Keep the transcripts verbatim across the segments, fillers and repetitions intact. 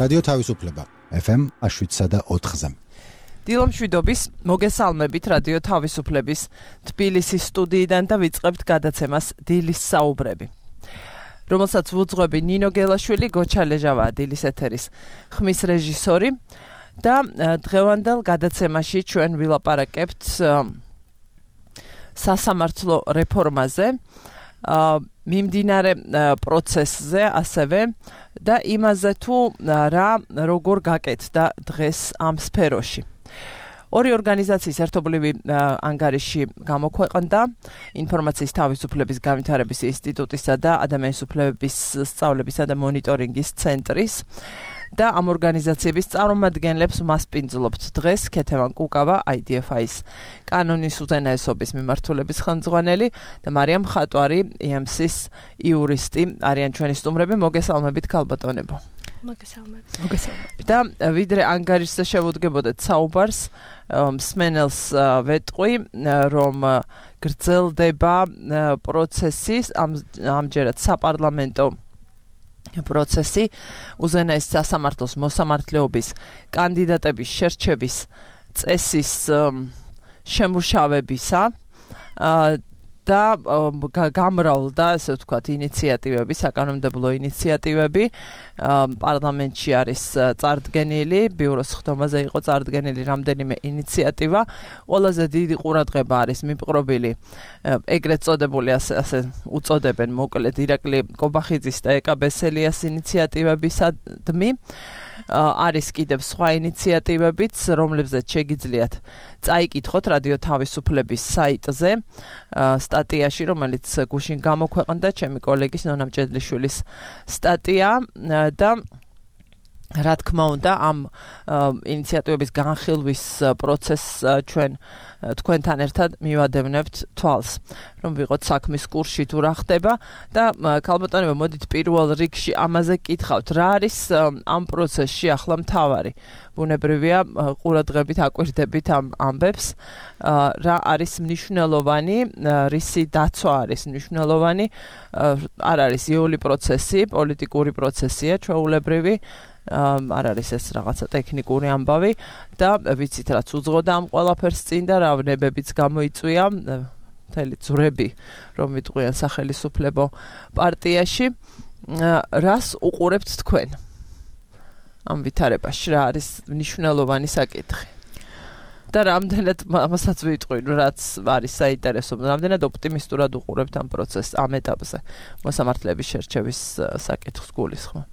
რადიო თავისუფლება ეფ ემ შვიდსა და ოთხზე. დილომშვიდობის მოგესალმებით რადიო თავისუფლების თბილისის სტუდიიდან და ვიწყებთ გადაცემას დილის საუბრები. რომელსაც ვუძღვები ნინო გელაშვილი, გოჩა ლეჟავა დილის ეთერის ხმის რეჟისორი და დღევანდელ გადაცემაში ჩვენ ვილაპარაკებთ სასამართლო რეფორმაზე, მიმდინარე პროცესზე ასევე და იმაზე თუ რა როგორ გაკეთდა დღეს ამ სფეროში. ორი ორგანიზაციის ერთობლივი ანგარიში გამოქვეყნდა ინფორმაციის თავისუფლების განვითარების ინსტიტუტისა და ადამიანის უფლებების სწავლებისა და მონიტორინგის ცენტრის და ამ ორგანიზაციების წარმომადგენლებს მასპინძლობთ დღეს ქეთევან კუკავა აი დი ეფ აის კანონის უზენაესობის მიმართულების ხელმძღვანელი და მარიამ ხატვარი ი ემ სის იურისტი არიან ჩვენი სტუმრები. მოგესალმებით ქალბატონებო. მოგესალმებით. მოგესალმებით. და ვიდრე ანგარიშზე შევუდგებოდეთ საუბარს, მსმენელს ვეტყვი, რომ გრძელდება პროცესი, ამჯერად საპარლამენტო პროცესი უზენაეს სასამართლოს მოსამართლეობის კანდიდატების შერჩევის წესის შემუშავებისა და გამრავლდა, ესე ვთქვათ, ინიციატივები, საკანონმდებლო ინიციატივები. პარლამენტში არის წარდგენილი, ბიუროს ხდომაზე იყო წარდგენილი რამდენიმე ინიციატივა. ყველაზე დიდი ყურადღება არის მიპყრობილი ეგრეთ წოდებული, ასე ასე უწოდებენ მოკლედ, ირაკლი კობახიძის და ეკა ბესელიას ინიციატივებისადმი. არის კიდევ სხვა ინიციატივებიც, რომლებზეც შეგიძლიათ წაიკითხოთ რადიო თავისუფლების საიტზე სტატიაში, რომელიც გუშინ გამოქვეყნდა, ჩემი კოლეგის ნონა მჭედლიშვილის სტატია და რა თქმა უნდა ამ ინიციატივების განხილვის პროცესს ჩვენ თქვენთან ერთად მივადევნებთ თვალს, რომ ვიყოთ საქმის კურსში თუ რა ხდება და ქალბატონებო, მოდით პირველ რიგში ამაზე გკითხავთ, რა არის ამ პროცესში ახლა მთავარი? ბუნებრივია ყურადღებით აკვირდებით ამ ამბებს, რა არის მნიშვნელოვანი, რისი დაცვა არის მნიშვნელოვანი, არ არის იული პროცესი, პოლიტიკური პროცესია ჩვეულებრივი, არ არის ეს რაღაცა ტექნიკური ამბავი და ვიცით რაც უძღოდა ამ ყველაფერს წინ და რა ვნებებიც გამოიწვია, მთელი ძვრები რომ ვიტყვიან სახელისუფლებო პარტიაში. რას უყურებთ თქვენ ამ ვითარებაში, რა არის მნიშვნელოვანი საკითხი და რამდენად ამასაც ვიტყვი, რაც არის საინტერესო, რამდენად ოპტიმისტურად უყურებთ ამ პროცესს ამ ეტაპზე მოსამართლეების შერჩევის საკითხს გულისხმობ.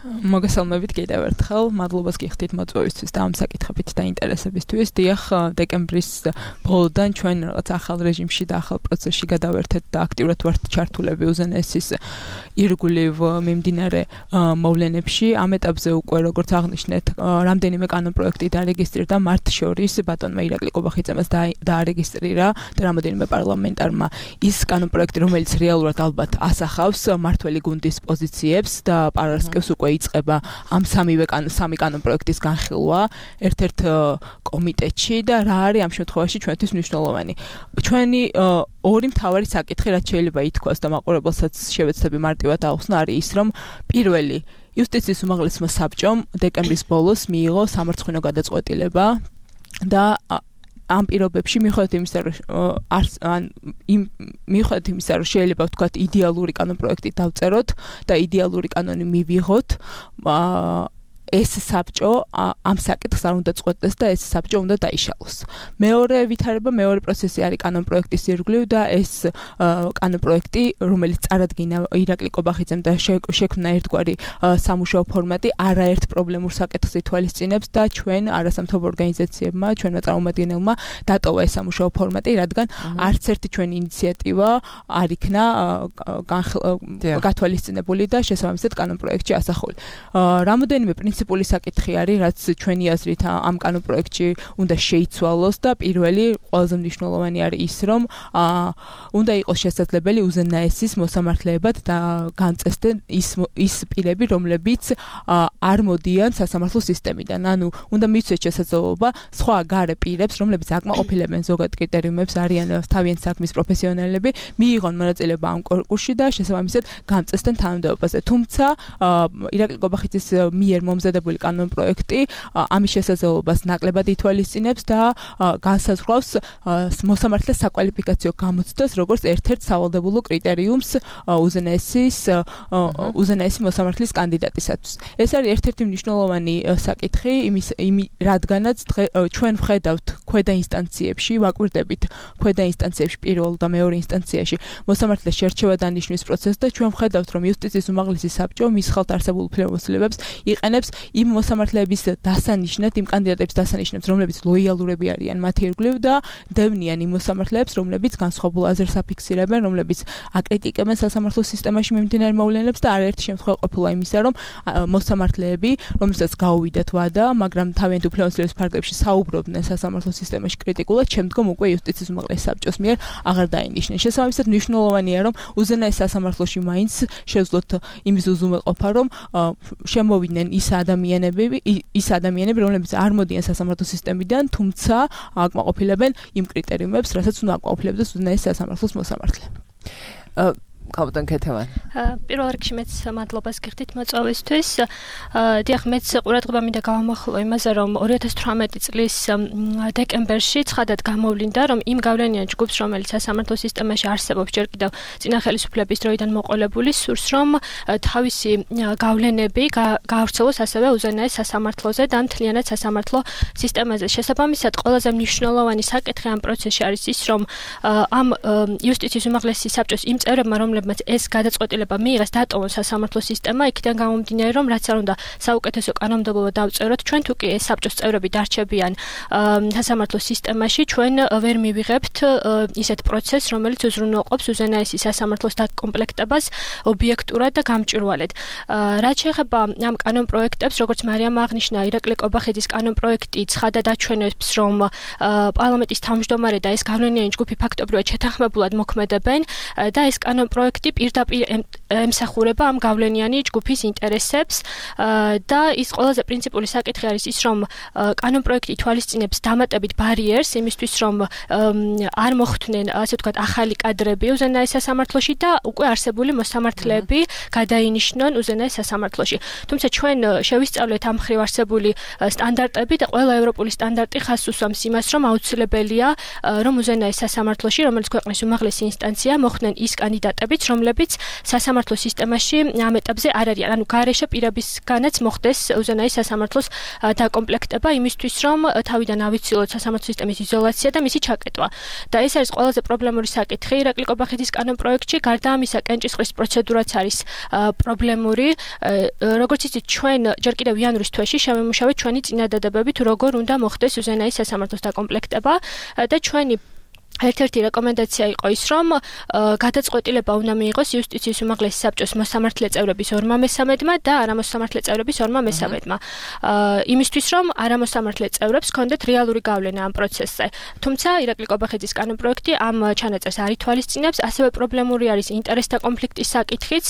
მოგესალმებით კიდევ ერთხელ, მადლობას გიხდით მოწვევისთვის და ამ საკითხებით და ინტერესებისთვის. დიახ, დეკემბრის ბოლოდან ჩვენ რაღაც ახალ რეჟიმში და ახალ პროცესში გადავერთეთ და აქტიურად ვართ ჩართულები უზენაესის ირგვლივ მიმდინარე მოვლენებში. ამ ეტაპზე უკვე, როგორც აღნიშნეთ, რამდენიმე კანონპროექტი დარეგისტრირდა, მათ შორის ბატონმა ირაკლი კობახიძემაც დაარეგისტრირა და რამდენიმე პარლამენტარმა ის კანონპროექტი, რომელიც რეალურად ალბათ ასახავს მმართველი გუნდის პოზიციებს და პარასკევს უკვე იწყება ამ სამივე სამი კანონპროექტის განხილვა ერთ-ერთ კომიტეტში და რა არის ამ შემთხვევაში ჩვენთვის მნიშვნელოვანი. ჩვენი ორი მთავარი საკითხი, რაც შეიძლება ითქვას და მაყურებელსაც შევეცდები მარტივად აუხსნა, არის ის, რომ პირველი იუსტიციის უმაღლესმა საბჭომ დეკემბრის ბოლოს მიიღო სამარცხვინო გადაწყვეტილება და ამ პირობებში მიუხედავად იმისა, რომ მიუხედავად იმისა, რომ შეიძლება ვთქვათ იდეალური კანონპროექტი დავწეროთ და იდეალური კანონი მივიღოთ, ეს საბჭო ამ საკითხს არ უნდა წყვეტდეს და ეს საბჭო უნდა დაიშალოს. მეორე ვითარება, მეორე პროცესი არის კანონპროექტის ირგვლივ და ეს კანონპროექტი, რომელიც წარადგინა ირაკლი კობახიძემ და შექმნა ერთგვარი სამუშაო ფორმატი, არაერთ პრობლემურ საკითხს ითვალისწინებს და ჩვენ არასამთავრობო ორგანიზაციებმა, ჩვენმა წარმომადგენელმა დატოვა ეს სამუშაო ფორმატი, რადგან არც ერთი ჩვენი ინიციატივა არ იქნა გათვალისწინებული და შესაბამისად კანონპროექტში ასახული. რამოდენიმე პრინციპული საკითხი არის, რაც ჩვენი აზრით ამ კანონპროექტში უნდა შეიცვალოს და პირველი ყველაზე მნიშვნელოვანი არის ის, რომ უნდა იყოს შესაძლებელი უზენაესის მოსამართლეებად და განწესდნენ ის ის პირები, რომლებიც არ მოდიან სასამართლო სისტემიდან. ანუ უნდა მიცვეს შესაძლებლობა სხვა გარე პირებს, რომლებიც აკმაყოფილებენ ზოგად კრიტერიუმებს, არიან თავიანთი საქმის პროფესიონალები, მიიღონ მონაწილეობა ამ კონკურსში და შესაბამისად განწესდნენ თანამდებობაზე. თუმცა ირაკლი კობახიძის მიერ მომზადებული დამზადებული კანონპროექტი ამის შესაძლებლობას ნაკლებად ითვალისწინებს და განსაზღვრავს მოსამართლეს საკვალიფიკაციო გამოცდას როგორც ერთ-ერთ სავალდებულო კრიტერიუმს უზენაესის უზენაესი მოსამართლის კანდიდატისათვის. ეს არის ერთ-ერთი მნიშვნელოვანი საკითხი იმის რადგანაც ჩვენ ვხედავთ ქვედა ინსტანციებში, ვაკვირდებით ქვედა ინსტანციებში პირველ და მეორე ინსტანციაში მოსამართლეს შერჩევა დანიშნვის პროცესს და ჩვენ ვხედავთ რომ იუსტიციის უმაღლესი საბჭო მის ხელთ არსებულ უფლებამოსილებებს იყენებს იმ მოსამართლეების დასანიშნად, იმ კანდიდატების დასანიშნად, რომლებიც ლოიალურები არიან მათი ირგვლივ და დევნიან იმ მოსამართლეებს, რომლებიც განსხვავებულ აზრს აფიქსირებენ, რომლებიც აკრიტიკებენ სასამართლო სისტემაში მიმდინარე მოვლენებს და არაერთი შემთხვევა ყოფილა იმისა, რომ მოსამართლეები, რომელსაც გაუვიდათ ვადა, მაგრამ თავიანთ უფლებამოსილების ფარგლებში საუბრობდნენ სასამართლო სისტემაში კრიტიკულად, შემდგომ უკვე იუსტიციის უმაღლესი საბჭოს მიერ აღარ დაინიშნენ. შესაბამისად, მნიშვნელოვანია, რომ უზენაეს სასამართლოში მაინც შეძლოთ იმის უზრუნველყოფა, რომ შემოვიდნენ ის ადამიანები, ის ადამიანები, რომლებიც არ მოდიან სასამართლო სისტემიდან, თუმცა აკმაყოფილებენ იმ კრიტერიუმებს, რასაც უნდა აკმაყოფილებდეს უზენაეს სასამართლოს მოსამართლე. კაპიტან ქეთევანი. პირველ რიგში მეც მადლობას გიხდით მოწვევისთვის. დიახ, მეც ყურადღება მინდა გავამახვილო იმაზე, რომ ორი ათას თვრამეტი წლის დეკემბერში ცხადად გამოვლინდა, რომ იმ გავლენიან ჯგუფს, რომელიც სასამართლო სისტემაში არსებობს ჯერ კიდევ წინა ხელისუფლების დროიდან მოყოლებული, სურს რომ თავისი გავლენები გაავრცელოს ასევე უზენაეს სასამართლოზე და მთლიანად სასამართლო სისტემაზე. შესაბამისად, ყველაზე მნიშვნელოვანი საკითხი ამ პროცესში არის ის, რომ ამ იუსტიციის უმაღლესი საბჭოს იმ წევრებმა, რომლებმაც ეს გადაწყვეტილება მიიღეს დატოვონ სასამართლო სისტემა, იქიდან გამომდინარე, რომ რაც არ უნდა საუკეთესო კანონმდებლობა დავწეროთ, ჩვენ თუ კი ეს საბჭოს წევრები დარჩებიან სასამართლო სისტემაში, ჩვენ ვერ მივიღებთ ისეთ პროცესს, რომელიც უზრუნველყოფს უზენაესი სასამართლოს დაკომპლექტებას ობიექტურად და გამჭვირვალედ. რაც შეეხება ამ კანონპროექტებს, როგორც მარიამ აღნიშნა, ირაკლი კობახიძის კანონპროექტი ცხადად აჩვენებს, რომ პარლამენტის თავმჯდომარე და ეს გავლენიანი ჯგუფი ფაქტობრივად შეთანხმებულად მოქმედებენ და ეს კანონპროექტი პირდაპირ ემსახურება ამ გავლენიანი ჯგუფის ინტერესებს და ის ყველაზე პრინციპული საკითხი არის ის, რომ კანონპროექტი ითვალისწინებს დამატებით ბარიერს იმისთვის, რომ არ მოხვდნენ, ასე ვთქვათ, ახალი კადრები უზენაეს სასამართლოში და უკვე არსებული მოსამართლეები გადაინიშნონ უზენაეს სასამართლოში. თუმცა ჩვენ შევისწავლეთ ამ მხრივ არსებული სტანდარტები და ყველა ევროპული სტანდარტი ხაზს უსვამს იმას, რომ აუცილებელია, რომ უზენაეს სასამართლოში, რომელიც ქვეყნის უმაღლესი ინსტანცია, მოხვდნენ ის კანდიდატებიც, რომლებიც სასამართლო სისტემაში ამ ეტაპზე არ არიან. ანუ გარეშე პირებისგანაც მოხდეს უზენაეს სასამართლოს დაკომპლექტება იმისთვის, რომ თავიდან ავიცილოთ სასამართლო სისტემის იზოლაცია და მისი ჩაკეტვა. და ეს არის ყველაზე პრობლემური საკითხი ირაკლი კობახიძის კანონპროექტში. გარდა ამისა, კენჭისყრის პროცედურაც არის პრობლემური. როგორც იცით, ჩვენ ჯერ კიდევ იანვრის თვეში შევემუშავეთ ჩვენი წინადადებები, თუ როგორ უნდა მოხდეს უზენაეს სასამართლოს დაკომპლექტება და ჩვენი ერთ-ერთი რეკომენდაცია იყო ის, რომ გადაწყვეტილება უნდა მიიღოს იუსტიციის უმაღლესი საბჭოს მოსამართლე წევრების ორმა მესამედმა და არამოსამართლე წევრების ორმა მესამედმა. იმისთვის, რომ არამოსამართლე წევრებს ჰქონდეთ რეალური გავლენა ამ პროცესზე. თუმცა ირაკლი კობახიძის კანონპროექტი ამ ჩანაწერს არ ითვალისწინებს, ასევე პრობლემური არის ინტერესთა კონფლიქტის საკითხიც.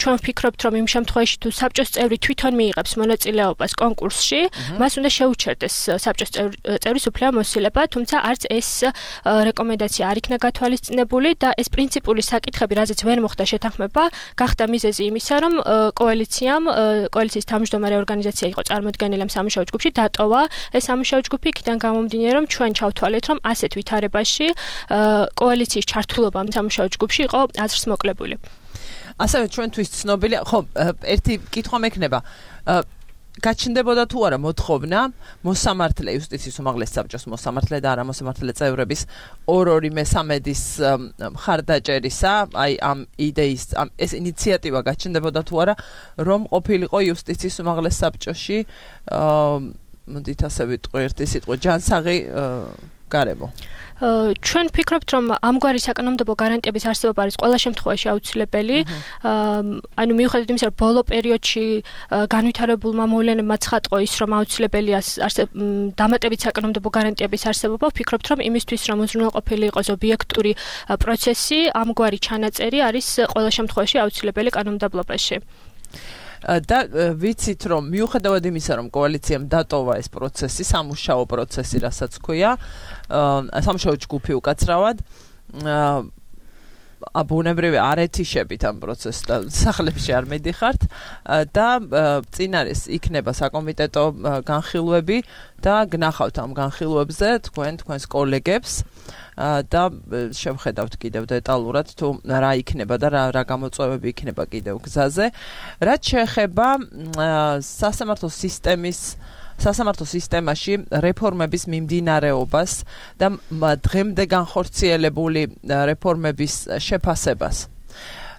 ჩვენ ვფიქრობთ, რომ იმ შემთხვევაში, თუ საბჭოს წევრი თვითონ მიიღებს მონაწილეობას კონკურსში, მას უნდა შეუჩერდეს საბჭოს წევრის უფლებამოსილება, თუმცა არც ეს რეკომენდაცია არ იქნა გათვალისწინებული და ეს პრინციპული საკითხები, რაზეც ვერ მოხდა შეთანხმება, გახდა მიზეზი იმისა, რომ კოალიციამ, კოალიციის თავმჯდომარე ორგანიზაცია იყო წარმოდგენილი ამ სამუშაო ჯგუფში, დატოვა ეს სამუშაო ჯგუფი, იქიდან გამომდინარე, რომ ჩვენ ჩავთვალეთ, რომ ასეთ ვითარებაში კოალიციის ჩართულობა ამ სამუშაო ჯგუფში იყო აზრს მოკლებული. ასევე ჩვენთვის ცნობილია, ხო, ერთი კითხვა მექნება. გაჩნდებოდა თუ არა მოთხოვნა მოსამართლე იუსტიციის უმაღლეს საბჭოს მოსამართლე და არამოსამართლე წევრების ორ-ორი მესამედის მხარდაჭერისა, აი ამ იდეის, ამ ეს ინიციატივა გაჩნდებოდა თუ არა, რომ ყოფილიყო იუსტიციის უმაღლეს საბჭოში, მოდით ასე ვიტყვი ერთი სიტყვა, ჯანსაღი გარემო. ჩვენ ვფიქრობთ, რომ ამგვარი საკანონმდებლო გარანტიების არსებობა არის ყველა შემთხვევაში აუცილებელი. ანუ მიუხედავად იმისა, რომ ბოლო პერიოდში განვითარებულმა მოვლენებმა ცხადყო ის, რომ აუცილებელია დამატებით საკანონმდებლო გარანტიების არსებობა, ვფიქრობთ, რომ იმისთვის, რომ უზრუნველყოფილი იყოს ობიექტური პროცესი, ამგვარი ჩანაწერი არის ყველა შემთხვევაში აუცილებელი კანონმდებლობაში. და ვიცით, რომ მიუხედავად იმისა, რომ კოალიციამ დატოვა ეს პროცესი, სამუშაო პროცესი, რასაც ქვია, სამუშაო ჯგუფი უკაცრავად, აბუნებრივი არ ეთიშებით ამ პროცესს და სახლებში არ მედიხართ და წინ არის იქნება საკომიტეტო განხილვები და გნახავთ ამ განხილვებზე თქვენ თქვენს კოლეგებს და შევხედავთ კიდევ დეტალურად თუ რა იქნება და რა რა გამოწვევები იქნება კიდევ გზაზე. რაც შეეხება სასამართლო სისტემის სასამართლო სისტემაში რეფორმების მიმდინარეობას და დღემდე განხორციელებული რეფორმების შეფასებას.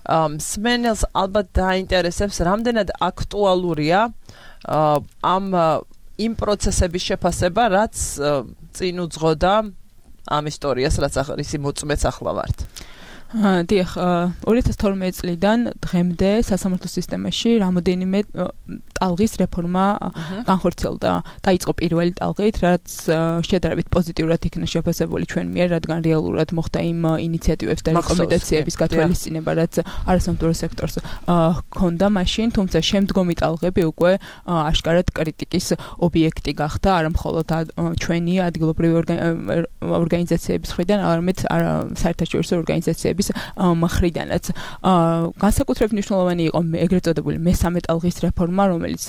მსმენელს ალბათ დაინტერესებს, რამდენად აქტუალურია ამ იმ პროცესების შეფასება, რაც წინ უძღოდა ამ ისტორიას, რაც ახალ მოწმეც ახლა ვართ. დიახ, ორი ათას თორმეტი წლიდან დღემდე სასამართლო სისტემაში რამოდენიმე ტალღის რეფორმა განხორციელდა. დაიწყო პირველი ტალღით, რაც შედარებით პოზიტიურად იქნა შეფასებული ჩვენ მიერ, რადგან რეალურად მოხდა იმ ინიციატივებს და რეკომენდაციების გათვალისწინება, რაც არასამთავრობო სექტორს ჰქონდა მაშინ, თუმცა შემდგომი ტალღები უკვე აშკარად კრიტიკის ობიექტი გახდა, არა მხოლოდ ჩვენი ადგილობრივი ორგანიზაციების მხრიდან, არამედ საერთაშორისო ორგანიზაციების მხრიდანაც. განსაკუთრებით მნიშვნელოვანი იყო ეგრეთ წოდებული მესამე ტალღის რეფორმა, რომელიც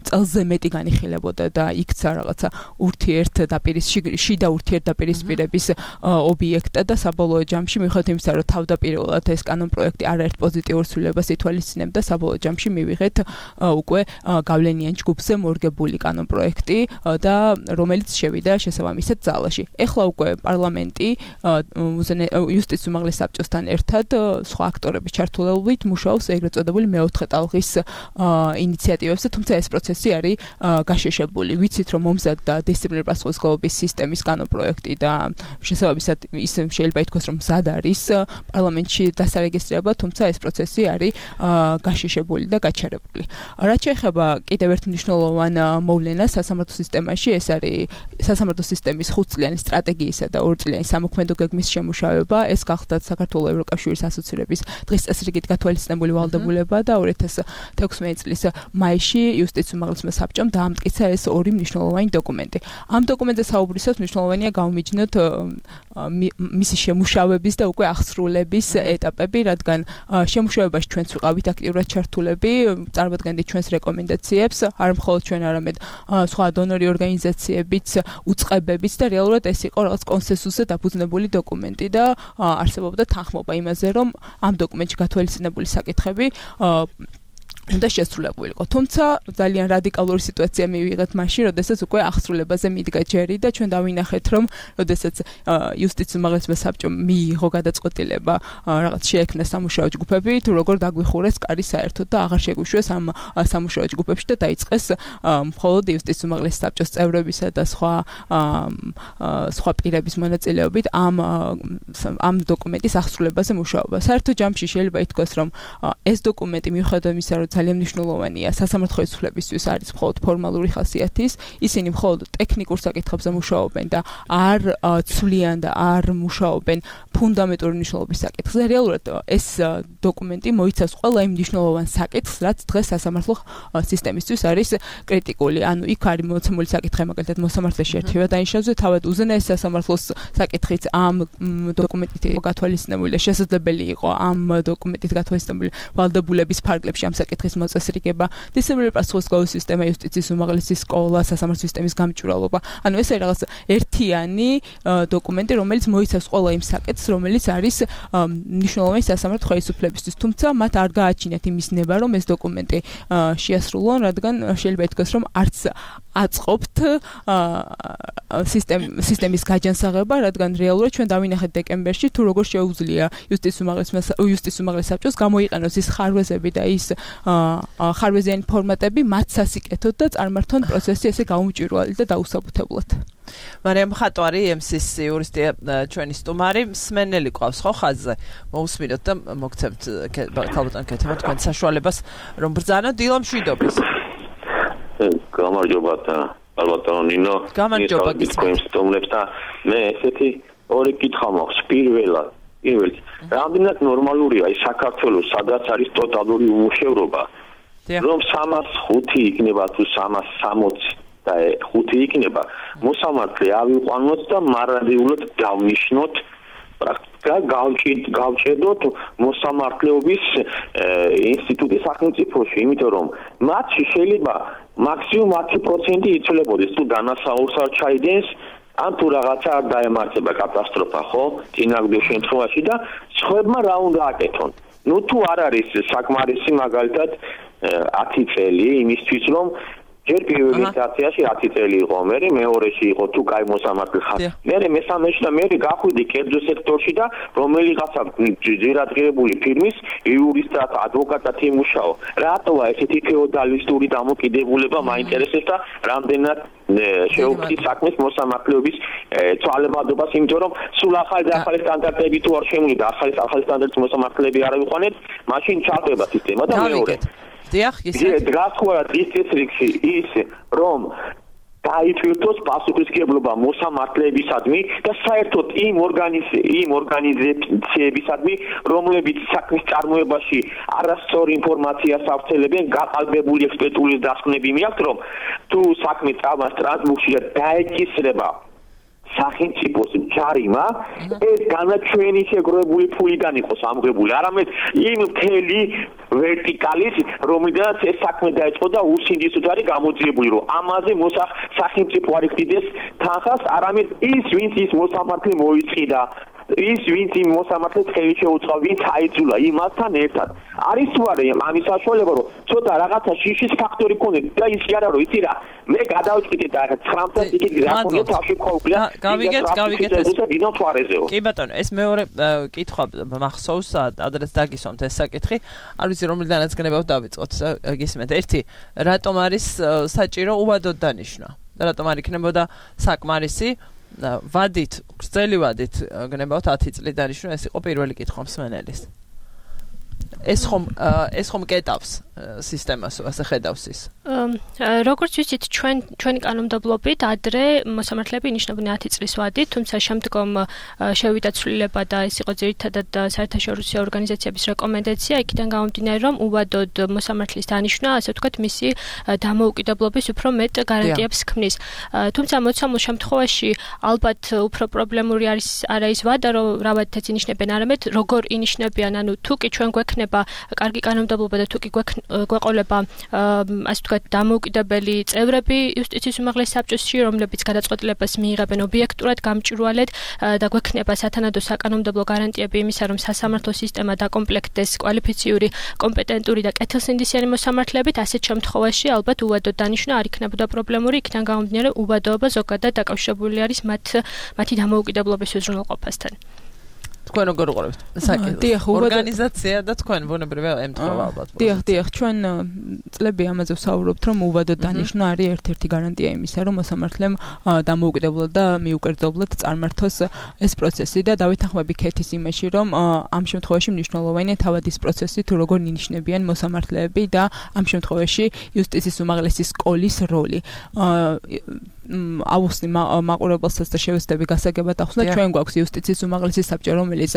წელზე მეტი განიხილებოდა და იქცა რაღაცა ურთიერთდაპირის შიდა ურთიერთდაპირისპირების ობიექტა და საბოლოო ჯამში მიუხედავად იმისა, რომ თავდაპირველად ეს კანონპროექტი არაერთ პოზიტიურ ცვლილებას ითვალისწინებდა, საბოლოო ჯამში მივიღეთ უკვე გავლენიან ჯგუფზე მორგებული კანონპროექტი და რომელიც შევიდა შესაბამისად ძალაში. ეხლა უკვე პარლამენტი იუსტიციის უმაღლეს საბჭოს ერთად სხვა აქტორების ჩართულობით მუშაობს ეგრეთ წოდებული მეოთხე ტალღის ინიციატივებზე, თუმცა ეს პროცესი არის გაშეშებული. ვიცით, რომ მომზადდა დისციპლინური პასუხისმგებლობის სისტემის კანონპროექტი და შესაბამისად ის შეიძლება ითქვას, რომ მზად არის პარლამენტში დასარეგისტრება, თუმცა ეს პროცესი არის გაშეშებული და გაჩერებული. რაც შეეხება კიდევ ერთ მნიშვნელოვან მოვლენას სასამართლო სისტემაში, ეს არის სასამართლო სისტემის ხუთწლიანი სტრატეგიისა და ორწლიანი სამოქმედო გეგმის შემუშავება. ეს გახდა საქართველოს ევროკავშირის ასოცირების დღის წესრიგით გათვალისწინებული ვალდებულება და ორი ათას თექვსმეტი წლის მაისში იუსტიციის უმაღლესმა საბჭომ დაამტკიცა ეს ორი მნიშვნელოვანი დოკუმენტი. ამ დოკუმენტზე საუბრისას მნიშვნელოვანია გავმიჯნოთ მისი შემუშავების და უკვე აღსრულების ეტაპები, რადგან შემუშავებაში ჩვენც ვიყავით აქტიურად ჩართულები, წარმოადგენდით ჩვენს რეკომენდაციებს, არ მხოლოდ ჩვენ, არამედ სხვა დონორი ორგანიზაციებიც, უწყებებიც და რეალურად ეს იყო რაღაც კონსენსუსზე დაფუძნებული დოკუმენტი და არსებობდა თანხმობა იმაზე, რომ ამ დოკუმენტში გათვალისწინებული საკითხები უნდა შესრულებულიყო. თუმცა ძალიან რადიკალური სიტუაცია მივიღეთ მაშინ, როდესაც უკვე აღსრულებაზე მიდგა ჯერი და ჩვენ დავინახეთ, რომ როდესაც იუსტიციის უმაღლესმა საბჭომ მიიღო გადაწყვეტილება რაღაც შეექმნა სამუშაო ჯგუფები, თუ როგორ დაგვიხურეს კარი საერთოდ და აღარ შეგვიშვეს ამ სამუშაო ჯგუფებში და დაიწყეს მხოლოდ იუსტიციის უმაღლეს საბჭოს წევრებისა და სხვა სხვა პირების მონაწილეობით ამ ამ დოკუმენტის აღსრულებაზე მუშაობა. საერთოდ ჯამში შეიძლება ითქვას, რომ ეს დოკუმენტი მიუხედავად იმისა, რომ ძალიან მნიშვნელოვანია სასამართლო ხელისუფლებისთვის არის მხოლოდ ფორმალური ხასიათის, ისინი მხოლოდ ტექნიკურ საკითხებზე მუშაობენ და არ ცვლიან და არ მუშაობენ ფუნდამენტური მნიშვნელობის საკითხზე. რეალურად ეს დოკუმენტი მოიცავს ყველა იმ მნიშვნელოვან საკითხს, რაც დღეს სასამართლო სისტემისთვის არის კრიტიკული. ანუ იქ არის მოცემული საკითხი, მაგალითად მოსამართლეში ერთევა დანიშნავზე, თავად უზენაეს სასამართლოს საკითხიც ამ დოკუმენტით გათვალისწინებული და შესაძლებელი იყო ამ დოკუმენტით გათვალისწინებული ვალდებულების ფარგლებში ამ საკითხის მოწესრიგება, დისციპლინური პასუხისმგებლობის სისტემა, იუსტიციის უმაღლესი სკოლა, სასამართლო სისტემის გამჭვირვალობა. ანუ ეს არის რაღაც ერთიანი დოკუმენტი, რომელიც მოიცავს ყველა იმ საკითხს, რომელიც არის მნიშვნელოვანი სასამართლო ხელისუფლებისთვის. თუმცა მათ არ გააჩინათ იმის ნება, რომ ეს დოკუმენტი შეასრულონ, რადგან შეიძლება ითქვას, რომ არც აწყობთ სისტემის გაჯანსაღება, რადგან რეალურად ჩვენ დავინახეთ დეკემბერში, თუ როგორ შეუძლია იუსტიციის უმაღლეს უმაღლეს საბჭოს გამოიყენოს ის ხარვეზები და ის ხარვეზიანი ფორმატები მათ სასიკეთოდ და წარმართონ პროცესი ესე გაუმჭვირვალე და დაუსაბუთებლად. მარიამ ხატვარი, ემ სი ეს იურისტი ჩვენი სტუმარი, მსმენელი ყავს ხო ხაზზე. მოусმინოთ და მოგცემთ ქალბატონ კეთება თქვენ საშუალებას, რომ ბრძანოთ დილა მშვიდობის. გამარჯობა ალბათო ნინო. გამარჯობა გისმენთ სტუმრებს და მე ესეთი ორი კითხვა მაქვს. პირველად პირველი რამდენად ნორმალურია ის საქართველოს, სადაც არის ტოტალური უმუშევრობა, რომ სამას ხუთი იქნება თუ სამას სამოცი და ხუთი იქნება, მოსამართლე ავიყვანოთ და მარადიულად დავნიშნოთ და გავჭედოთ მოსამართლეობის ინსტიტუტის სახელმწიფოში, იმიტომ რომ მათში შეიძლება მაქსიმუმ ათი პროცენტი იცვლებოდეს თუ დანასაურს არ ჩაიდენს ან თუ რაღაცა არ დაემართება კატასტროფა, ხო? წინაგრძელ შემთხვევაში და სხვებმა რა უნდა აკეთონ. ნუ თუ არ არის საკმარისი მაგალითად ათი წელი იმისთვის რომ ჯერ პირველ ინსტანციაში ათი წელი იყო, მერე მეორეში იყო თუ კაი მოსამართლე ხარ. მერე მესამეში და მერე გახვიდი კერძო სექტორში და რომელიღაცა ძირადღირებული ფირმის იურისტად, ადვოკატად იმუშაო. რატოა ესეთი ფეოდალისტური დამოკიდებულება მაინტერესებს და რამდენად შეუქმნის საქმეს მოსამართლეობის ცვალებადობას, იმიტომ რომ სულ ახალი და ახალი სტანდარტები თუ არ შემოვიდა, ახალი ახალი სტანდარტის მოსამართლეები არ ავიყვანეთ, მაშინ ჩარდება სისტემა და მეორე დიახ, ისე. გასხვა დისტრიქტში ის რომ დაიწვირთოს პასუხისმგებლობა მოსამართლეებისადმი და საერთოდ იმ ორგანიზ იმ ორგანიზაციებისადმი, რომლებიც საქმის წარმოებაში არასწორ ინფორმაციას ავრცელებენ, გაყალბებული ექსპერტული დასკვნები მიაქვთ, რომ თუ საქმე წავა სტრასბურგში და დაეკისრება სახელმწიფოს ჯარიმა, ეს განაჩვენი შეგროვებული ფულიდან იყოს ამღებული, არამედ იმ მთელი ვერტიკალის, რომლიდანაც ეს საქმე დაიწყო და უსინდისოდ არის გამოძიებული, რომ ამაზე მოსახ სახელმწიფო არ იხდიდეს თანხას, არამედ ის, ვინც ის მოსამართლე მოიწყიდა, ის ვინც იმ მოსამართლეს ხელი შეუწყო, ვინც აიძულა იმასთან ერთად. არის თუ არა ამის საშუალება, რომ ცოტა რაღაცა შიშის ფაქტორი ქონდეს და ის კი არა რომ იცი რა, მე გადავჭიდე და ცხრამეტ იქით გაქონდა თავში ყოველდღე. გავიგეთ, გავიგეთ ეს. კი ბატონო, ეს მეორე კითხვა მახსოვს, ადრეც დაგისვამთ ეს საკითხი. არ ვიცი რომლიდანაც გნებავთ დავიწყოთ, გისმენთ. ერთი, რატომ არის საჭირო უვადოდ დანიშნა? და რატომ არ იქნებოდა საკმარისი ვადით, გრძელი ვადით გნებავთ ათი წლით დანიშნვა, ეს იყო პირველი კითხვა მსმენელის. ეს ხომ ეს ხომ კეტავს სისტემას, ასე ხედავს ის. როგორც ვიცით, ჩვენ ჩვენი კანონმდებლობით ადრე მოსამართლეები ინიშნებდნენ ათი წლის ვადით, თუმცა შემდგომ შევიდა ცვლილება და ეს იყო ძირითადად საერთაშორისო ორგანიზაციების რეკომენდაცია, იქიდან გამომდინარე, რომ უვადოდ მოსამართლის დანიშვნა, ასე ვთქვათ, მისი დამოუკიდებლობის უფრო მეტ გარანტიებს ქმნის. თუმცა მოცემულ შემთხვევაში ალბათ უფრო პრობლემური არის არა ის ვადა, რომ რა ვადითაც ინიშნებენ, არამედ როგორ ინიშნებიან, ანუ თუ კი ჩვენ გვექნება კარგი კანონმდებლობა და თუ კი გვეყოლება ასე ვთქვათ დამოუკიდებელი წევრები იუსტიციის უმაღლეს საბჭოში, რომლებიც გადაწყვეტილებას მიიღებენ ობიექტურად, გამჭვირვალედ და გვექნება სათანადო საკანონმდებლო გარანტიები იმისა, რომ სასამართლო სისტემა დაკომპლექტდეს კვალიფიციური, კომპეტენტური და კეთილსინდისიანი მოსამართლეებით, ასეთ შემთხვევაში ალბათ უვადოდ დანიშნა არ იქნებოდა პრობლემური, იქიდან გამომდინარე უვადოობა ზოგადად დაკავშირებული არის მათ მათი დამოუკიდებლობის უზრუნველყოფასთან. თქვენ როგორ უყურებთ საკითხს? ორგანიზაცია და თქვენ ბუნებრივია ემთხვევა ალბათ. დიახ, დიახ, ჩვენ წლები ამაზე ვსაუბრობთ, რომ უვადოდ დანიშნა არის ერთ-ერთი გარანტია იმისა, რომ მოსამართლემ დამოუკიდებლად და მიუკერძებლად წარმართოს ეს პროცესი და დავითანხმები ქეთის იმაში, რომ ამ შემთხვევაში მნიშვნელოვანია თავად ის პროცესი, თუ როგორ ინიშნებიან მოსამართლეები და ამ შემთხვევაში იუსტიციის უმაღლესი სკოლის როლი. აუხსნი მაყურებელსაც და შევეცდები გასაგებად ახსნა, ჩვენ გვაქვს იუსტიციის უმაღლესი საბჭო, რომელიც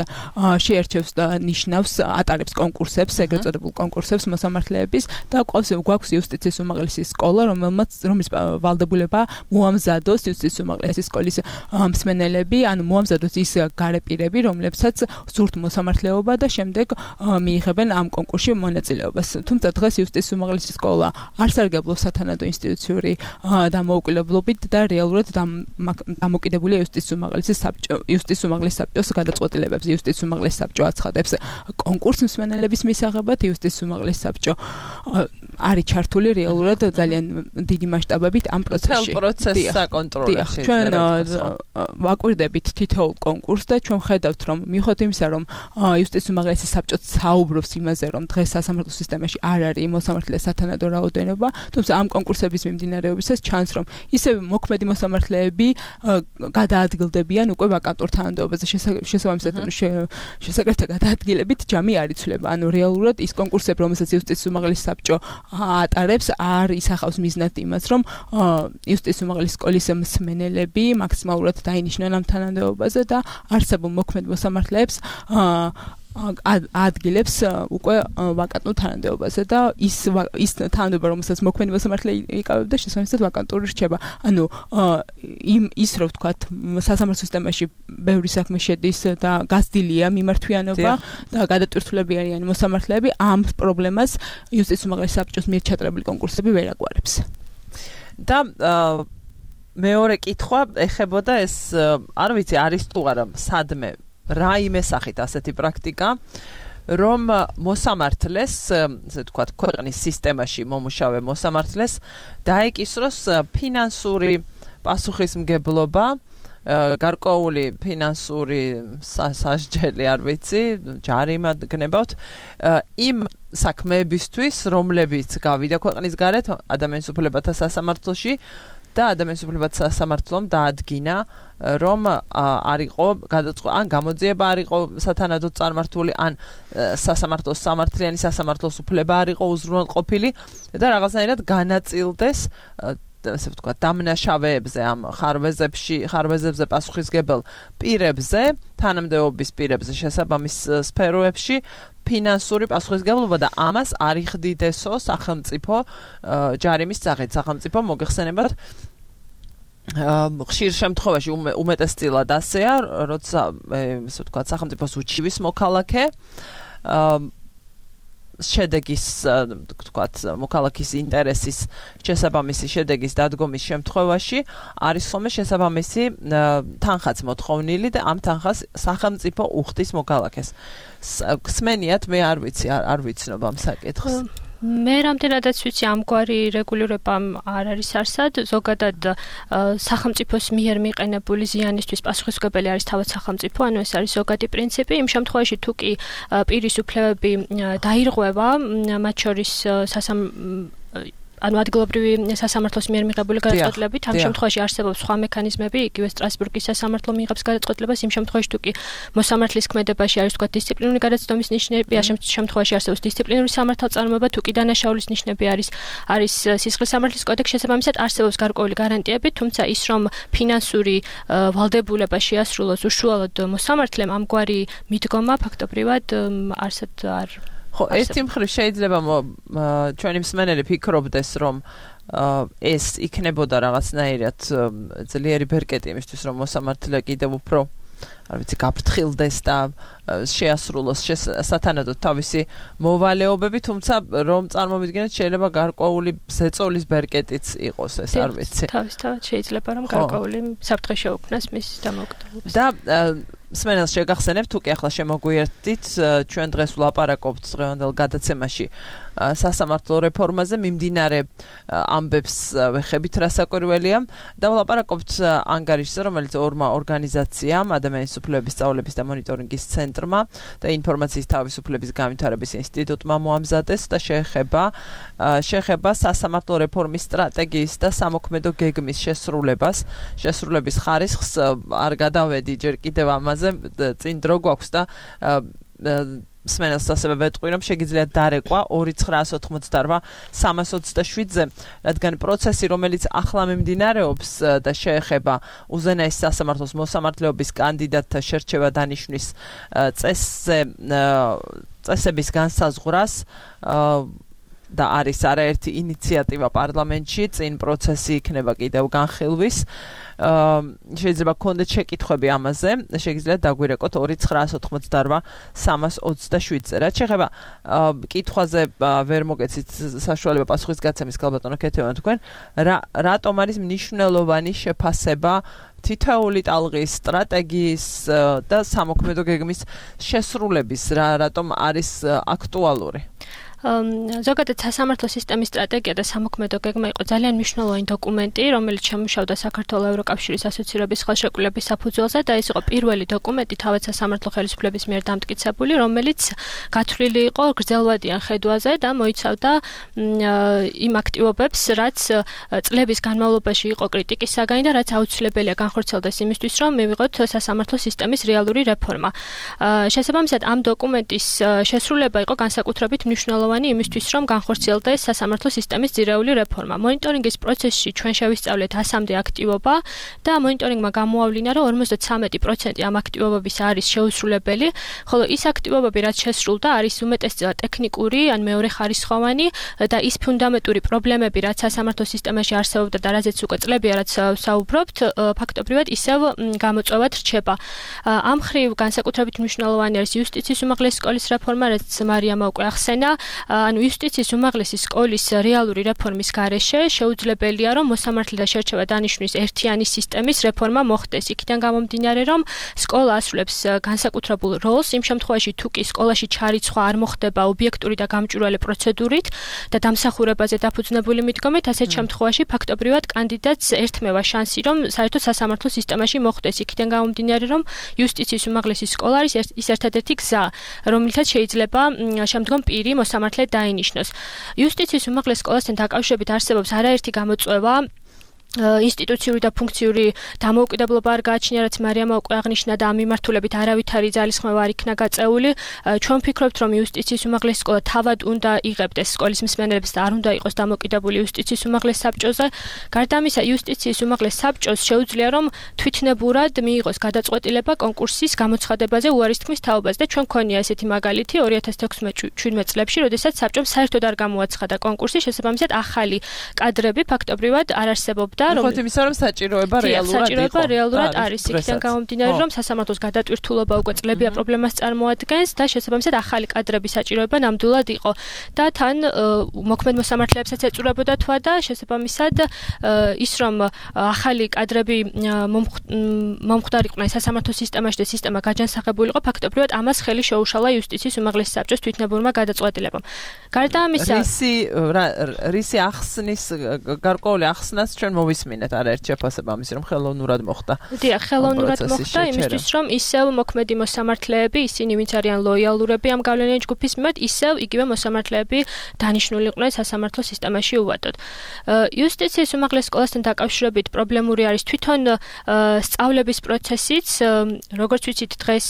შეერჩევს და ნიშნავს, ატარებს კონკურსებს, ეგრეთ წოდებულ კონკურსებს მოსამართლეების და გვაქვს იუსტიციის უმაღლესი სკოლა, რომელმაც რომლის ვალდებულება მოამზადოს იუსტიციის უმაღლესი სკოლის მსმენელები, ანუ მოამზადოს ის გარეპირები, რომლებსაც სურთ მოსამართლეობა და შემდეგ მიიღებენ ამ კონკურსში მონაწილეობას. თუმცა დღეს იუსტიციის უმაღლესი სკოლა არ სარგებლობს სათანადო ინსტიტუციური დამოუკიდებლობით და რეალურად დამოკიდებულია იუსტიციის უმაღლესი საბჭო, იუსტიციის უმაღლესი საბჭოს გადაწყვეტილებებს. იუსტიციის უმაღლესი საბჭო აცხადებს კონკურს მსმენელების მისაღებად, იუსტიციის უმაღლესი საბჭო არის ჩართული რეალურად ძალიან დიდი მასშტაბებით ამ პროცესში. მთელ პროცესს საკონტროლებში. ჩვენ ვაკვირდებით თითოეულ კონკურსს და ჩვენ ხედავთ, რომ მიუხედავად იმისა, რომ იუსტიციის უმაღლესი საბჭო საუბრობს იმაზე, რომ დღეს სასამართლო სისტემაში არ არის მოსამართლეს სათანადო რაოდენობა, თუმცა ამ კონკურსების მიმდინარეობისას ჩანს, რომ ისევ მოქმედი მოსამართლეები გადაადგილდებიან უკვე ვაკანტურ თანამდებობაზე. შესაბამისად, შესაკრებთა გადაადგილებით ჯამი არ იცვლება. ანუ რეალურად ის კონკურსები, რომელსაც იუსტიციის უმაღლესი საბჭო ატარებს, არ ისახავს მიზნად იმას, რომ იუსტიციის უმაღლესი სკოლის მსმენელები მაქსიმალურად დაინიშნონ ამ თანამდებობაზე და არსებულ მოქმედ მოსამართლეებს ადგილებს უკვე ვაკანტურ თანამდებობაზე და ის ის თანამდებობა რომელსაც მოქმედი მოსამართლე იკავებდა შესაბამისად ვაკანტური რჩება. ანუ იმ ის რო ვთქვათ სასამართლო სისტემაში ბევრი საქმე შედის და გაზრდილია მიმართვიანობა და გადატვირთულები არიან მოსამართლეები ამ პრობლემას იუსტიციის უმაღლესი საბჭოს მიერ ჩატარებული კონკურსები ვერ აგვარებს. და მეორე კითხვა ეხებოდა ეს არ ვიცი არის თუ არა სადმე რაიმე სახით ასეთი პრაქტიკა რომ მოსამართლეს ესე ვთქვათ ქვეყნის სისტემაში მომუშავე მოსამართლეს დაეკისროს ფინანსური პასუხისმგებლობა გარკვეული ფინანსური სასჯელი არ ვიცი ჯარიმა გნებავთ იმ საქმეებისთვის რომლებიც გავიდა ქვეყნის გარეთ ადამიანის უფლებათა სასამართლოში და ადამიანის უფლებათა სასამართლომ დაადგინა რომ არ იყო გადაწყვეტა ან გამოძიება არ იყო სათანადოდ წარმართული ან სასამართლოს სამართლიანი სასამართლოს უფლება არ იყო უზრუნველყოფილი და რაღაცნაირად განაწილდეს ასე ვთქვათ დამნაშავეებზე ამ ხარვეზებში ხარვეზებზე პასუხისგებელ პირებზე თანამდებობის პირებზე შესაბამის სფეროებში ფინანსური პასუხისგებლობა და ამას არ იხდიდესო სახელმწიფო ჯარიმის სახით სახელმწიფო მოგეხსენებათ ხშირ შემთხვევაში უმეტესწილად ასეა როცა ასე ვთქვათ სახელმწიფოს უჩივის მოქალაქე შედეგის ვთქვათ მოქალაქის ინტერესის შესაბამისი შედეგის დადგომის შემთხვევაში არის ხოლმე შესაბამისი თანხაც მოთხოვნილი და ამ თანხას სახელმწიფო უხდის მოქალაქეს. გსმენიათ მე არ ვიცი არ ვიცნობ ამ საკითხს. მე რამდენადაც ვიცი ამგვარი რეგულირება არ არის არსად ზოგადად სახელმწიფოს მიერ მიყენებული ზიანისთვის პასუხისმგებელი არის თავად სახელმწიფო ანუ ეს არის ზოგადი პრინციპი იმ შემთხვევაში თუ კი პირის უფლებები დაირღვევა მათ შორის სასამ ანუ ადგილობრივი სასამართლოს მიერ მიღებული გადაწყვეტილებით ამ შემთხვევაში არსებობს სხვა მექანიზმები იგივე სტრასბურგის სასამართლო მიიღებს გადაწყვეტილებას იმ შემთხვევაში თუ კი მოსამართლის ქმედებაში არის თქვა დისციპლინური გადაცდომის ნიშნები ამ შემთხვევაში არსებობს დისციპლინური სამართალწარმოება თუ კი დანაშაულის ნიშნები არის არის სისხლის სამართლის კოდექსში შესაბამისად არსებობს გარკვეული გარანტიები თუმცა ის რომ ფინანსური ვალდებულება შეასრულოს უშუალოდ მოსამართლემ ამგვარი მიდგომა ფაქტობრივად არსად არ ხო, ერთი მხრივ შეიძლება ჩვენი მსმენელი ფიქრობდეს, რომ ეს იქნებოდა რაღაცნაირად ძლიერი ბერკეტი იმისთვის, რომ მოსამართლე კიდევ უფრო არ ვიცი, გაფრთხილდეს და შეასრულოს სათანადოდ თავისი მოვალეობები, თუმცა რომ წარმოვიდგინოთ შეიძლება გარკვეული ზეწოლის ბერკეტიც იყოს ეს, არ ვიცი. თავისთავად შეიძლება რომ გარკვეული საფრთხე შეუქმნას მის დამოუკიდებლობას. და მსმენელს შეგახსენებთ, თუ კი ახლა შემოგვიერთდით, ჩვენ დღეს ვლაპარაკობთ დღევანდელ გადაცემაში სასამართლო რეფორმაზე, მიმდინარე ამბებს ვეხებით რა საკვირველია და ვლაპარაკობთ ანგარიშზე, რომელიც ორმა ორგანიზაციამ, ადამიანის უფლებების სწავლების და მონიტორინგის ცენტრმა და ინფორმაციის თავისუფლების განვითარების ინსტიტუტმა მოამზადეს და შეეხება შეეხება სასამართლო რეფორმის სტრატეგიის და სამოქმედო გეგმის შესრულებას, შესრულების ხარისხს არ გადავედი ჯერ კიდევ ამაზე წინ დრო გვაქვს და მსმენელს ასევე ვეტყვი, რომ შეგიძლიათ დარეკვა ორი ცხრაას ოთხმოცდარვა სამას ოცდაშვიდზე, რადგან პროცესი, რომელიც ახლა მიმდინარეობს და შეეხება უზენაეს სასამართლოს მოსამართლეობის კანდიდატთა შერჩევა დანიშვნის წესზე წესების განსაზღვრას და არის არაერთი ინიციატივა პარლამენტში, წინ პროცესი იქნება კიდევ განხილვის. შეიძლება გქონდეთ შეკითხვები ამაზე, შეგიძლიათ დაგვირეკოთ ორი ცხრაას ოთხმოცდარვა სამას ოცდაშვიდზე. რაც შეეხება კითხვაზე ვერ მოგეცით საშუალება პასუხის გაცემის ქალბატონო ქეთევან თქვენ, რატომ არის მნიშვნელოვანი შეფასება თითოეული ტალღის სტრატეგიის და სამოქმედო გეგმის შესრულების, რატომ არის აქტუალური? ზოგადად სასამართლო სისტემის სტრატეგია და სამოქმედო გეგმა იყო ძალიან მნიშვნელოვანი დოკუმენტი, რომელიც შემუშავდა საქართველოს ევროკავშირის ასოცირების ხელშეკრულების საფუძველზე და ეს იყო პირველი დოკუმენტი თავად სასამართლო ხელისუფლების მიერ დამტკიცებული, რომელიც გათვლილი იყო გრძელვადიან ხედვაზე და მოიცავდა იმ აქტივობებს, რაც წლების განმავლობაში იყო კრიტიკის საგანი და რაც აუცილებელია განხორციელდეს იმისთვის, რომ მივიღოთ სასამართლო სისტემის რეალური რეფორმა. შესაბამისად, ამ დოკუმენტის შესრულება იყო განსაკუთრებით მნიშვნელოვანი მნიშვნელოვანი იმისთვის, რომ განხორციელდეს სასამართლო სისტემის ძირეული რეფორმა. მონიტორინგის პროცესში ჩვენ შევისწავლეთ ასამდე აქტივობა და მონიტორინგმა გამოავლინა, რომ ორმოცდათრამეტი პროცენტი ამ აქტივობების არის შეუსრულებელი, ხოლო ის აქტივობები, რაც შესრულდა, არის უმეტესწილად ტექნიკური ან მეორეხარისხოვანი და ის ფუნდამენტური პრობლემები, რაც სასამართლო სისტემაში არსებობდა და რაზეც უკვე წლებია, რაც საუბრობთ, ფაქტობრივად ისევ გამოწვევად რჩება. ამ ხრივ განსაკუთრებით მნიშვნელოვანი არის იუსტიციის უმაღლესი სკოლის რეფორმა, რაც მარიამმა უკვე ახსენა. ანუ იუსტიციის უმაღლესი სკოლის რეალური რეფორმის გარეშე შეუძლებელია, რომ მოსამართლე და შერჩევა დანიშნვის ერთიანი სისტემის რეფორმა მოხდეს. იქიდან გამომდინარე, რომ სკოლა ასრულებს განსაკუთრებულ როლს იმ შემთხვევაში, თუ კი სკოლაში ჩარიცხვა არ მოხდება ობიექტური და გამჭვირვალე პროცედურით და დამსახურებაზე დაფუძნებული მიდგომით, ასეთ შემთხვევაში ფაქტობრივად კანდიდატს ერთმევა შანსი, რომ საერთოდ სასამართლო სისტემაში მოხდეს. იქიდან გამომდინარე, რომ იუსტიციის უმაღლესი სკოლა არის ის ერთადერთი გზა, რომლითაც შეიძლება შემდგომ პირი მოსამართლედ დაინიშნოს. იუსტიციის უმაღლეს სკოლასთან დაკავშირებით არსებობს არაერთი გამოწვევა ინსტიტუციური და ფუნქციური დამოუკიდებლობა არ გააჩნია, რაც მარიამმა უკვე აღნიშნა და ამ მიმართულებით არავითარი ძალისხმევა არ იქნა გაწეული. ჩვენ ვფიქრობთ, რომ იუსტიციის უმაღლესი სკოლა თავად უნდა იღებდეს სკოლის მსმენელებს და არ უნდა იყოს დამოკიდებული იუსტიციის უმაღლეს საბჭოზე. გარდა ამისა, იუსტიციის უმაღლეს საბჭოს შეუძლია, რომ თვითნებურად მიიღოს გადაწყვეტილება კონკურსის გამოცხადებაზე უარის თქმის თაობაზე და ჩვენ გვქონია ესეთი მაგალითი ორი ათას თექვსმეტ-შვიდმეტ წლებში, როდესაც საბჭომ საერთოდ არ გამოაცხადა კონკურსი, შესაბამისად ახალი კადრები ფაქტობრივად არ არსებობდა. ხოთ იმისა, რომ საჭიროება რეალურად საჭიროება რეალურად არის. იქიდან გამომდინარე, რომ სასამართლოს გადატვირთულობა უკვე წლებია პრობლემას წარმოადგენს და შესაბამისად ახალი კადრების საჭიროება ნამდვილად იყო. და თან მოქმედ მოსამართლეებსაც ეწურებოდა თვა და შესაბამისად ის, რომ ახალი კადრები მომხდარიყვნენ სასამართლო სისტემაში და სისტემა გაჯანსაღებულიყო, ფაქტობრივად ამას ხელი შეუშალა იუსტიციის უმაღლესი საბჭოს თვითნებურმა გადაწყვეტილებამ. გარდა ამისა, რისი რისი ახსნის გარკვეული ახსნას ჩვენ მოვისმინეთ არაერთ შეფასებამის, რომ ხელოვნურად მოხდა. დიახ, ხელოვნურად მოხდა იმისთვის, რომ ისევ მოქმედი მოსამართლეები, ისინი ვინც არიან ლოიალურები ამ გავლენიანი ჯგუფის მიმართ, ისევ იგივე მოსამართლეები დანიშნულიყვნენ სასამართლო სისტემაში უვადოდ. იუსტიციის უმაღლეს სკოლასთან დაკავშირებით პრობლემური არის თვითონ სწავლების პროცესიც. როგორც ვიცით, დღეს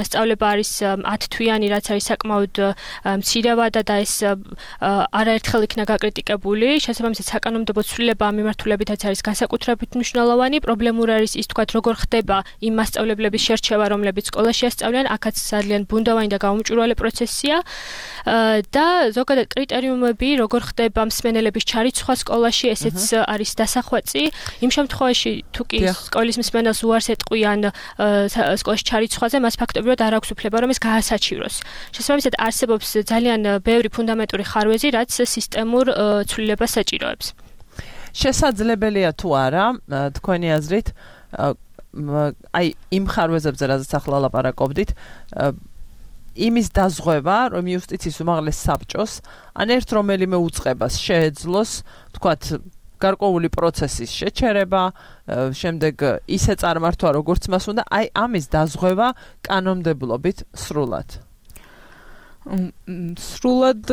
სწავლება არის ათ თვიანი, რაც არის საკმაოდ მცირე ვადა და ეს არაერთხელ იქნა გაკრიტიკებული. შესაბამისად, საკანონმდებლო ცვლილება ამ მიმართულებითაც არის განსაკუთრებით მნიშვნელოვანი. პრობლემური არის ის, თქვათ, როგორ ხდება იმ მასწავლებლების შერჩევა, რომლებიც სკოლაში ასწავლიან, აქაც ძალიან ბუნდოვანი და გაუმჭვირვალე პროცესია. და ზოგადად კრიტერიუმები, როგორ ხდება მსმენელების ჩარიცხვა სკოლაში, ესეც არის დასახვეწი. იმ შემთხვევაში, თუ კი სკოლის მსმენელს უარს ეტყვიან სკოლაში ჩარიცხვაზე, მას ფაქტობრივად არ აქვს უფლება, რომ ეს გაასაჩივროს. შესაბამისად, არსებობს ძალიან ბევრი ფუნდამენტური ხარვეზი, რაც სისტემურ ცვლილებას საჭიროებს. შესაძლებელია თუ არა, თქვენი აზრით, აი იმ ხარვეზებზე, რაზეც ახლა ლაპარაკობდით, იმის დაზღვევა, რომ იუსტიციის უმაღლეს საბჭოს ან ერთ რომელიმე უწყებას შეეძლოს, თქვათ, გარკვეული პროცესის შეჩერება, შემდეგ ისე წარმართვა, როგორც მას უნდა, აი ამის დაზღვევა კანონმდებლობით სრულად. სრულად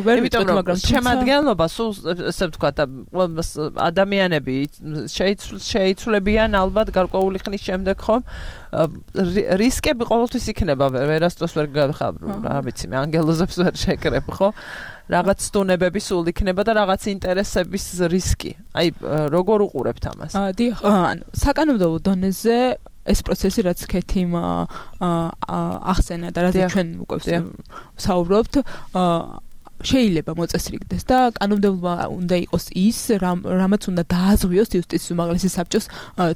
ვერ ვიტყვით, მაგრამ შემადგენლობა სულ ესე ვთქვათ, ადამიანები შეიცვლებიან ალბათ გარკვეული ხნის შემდეგ, ხომ? რისკები ყოველთვის იქნება, ვერასდროს ვერ გავხარ, რა ვიცი, მე ანგელოზებს ვერ შეკრებ, ხო? რაღაც სტუნებები სულ იქნება და რაღაც ინტერესების რისკი. აი, როგორ უყურებთ ამას? დიახ, ანუ საკანონმდებლო დონეზე ეს პროცესი, რაც ქეთიმ ახსენა და რაც ჩვენ უკვე საუბრობთ, შეიძლება მოწესრიგდეს და კანონმდებლობა უნდა იყოს ის, რამაც უნდა დააზღვიოს იუსტიციის უმაღლესი საბჭოს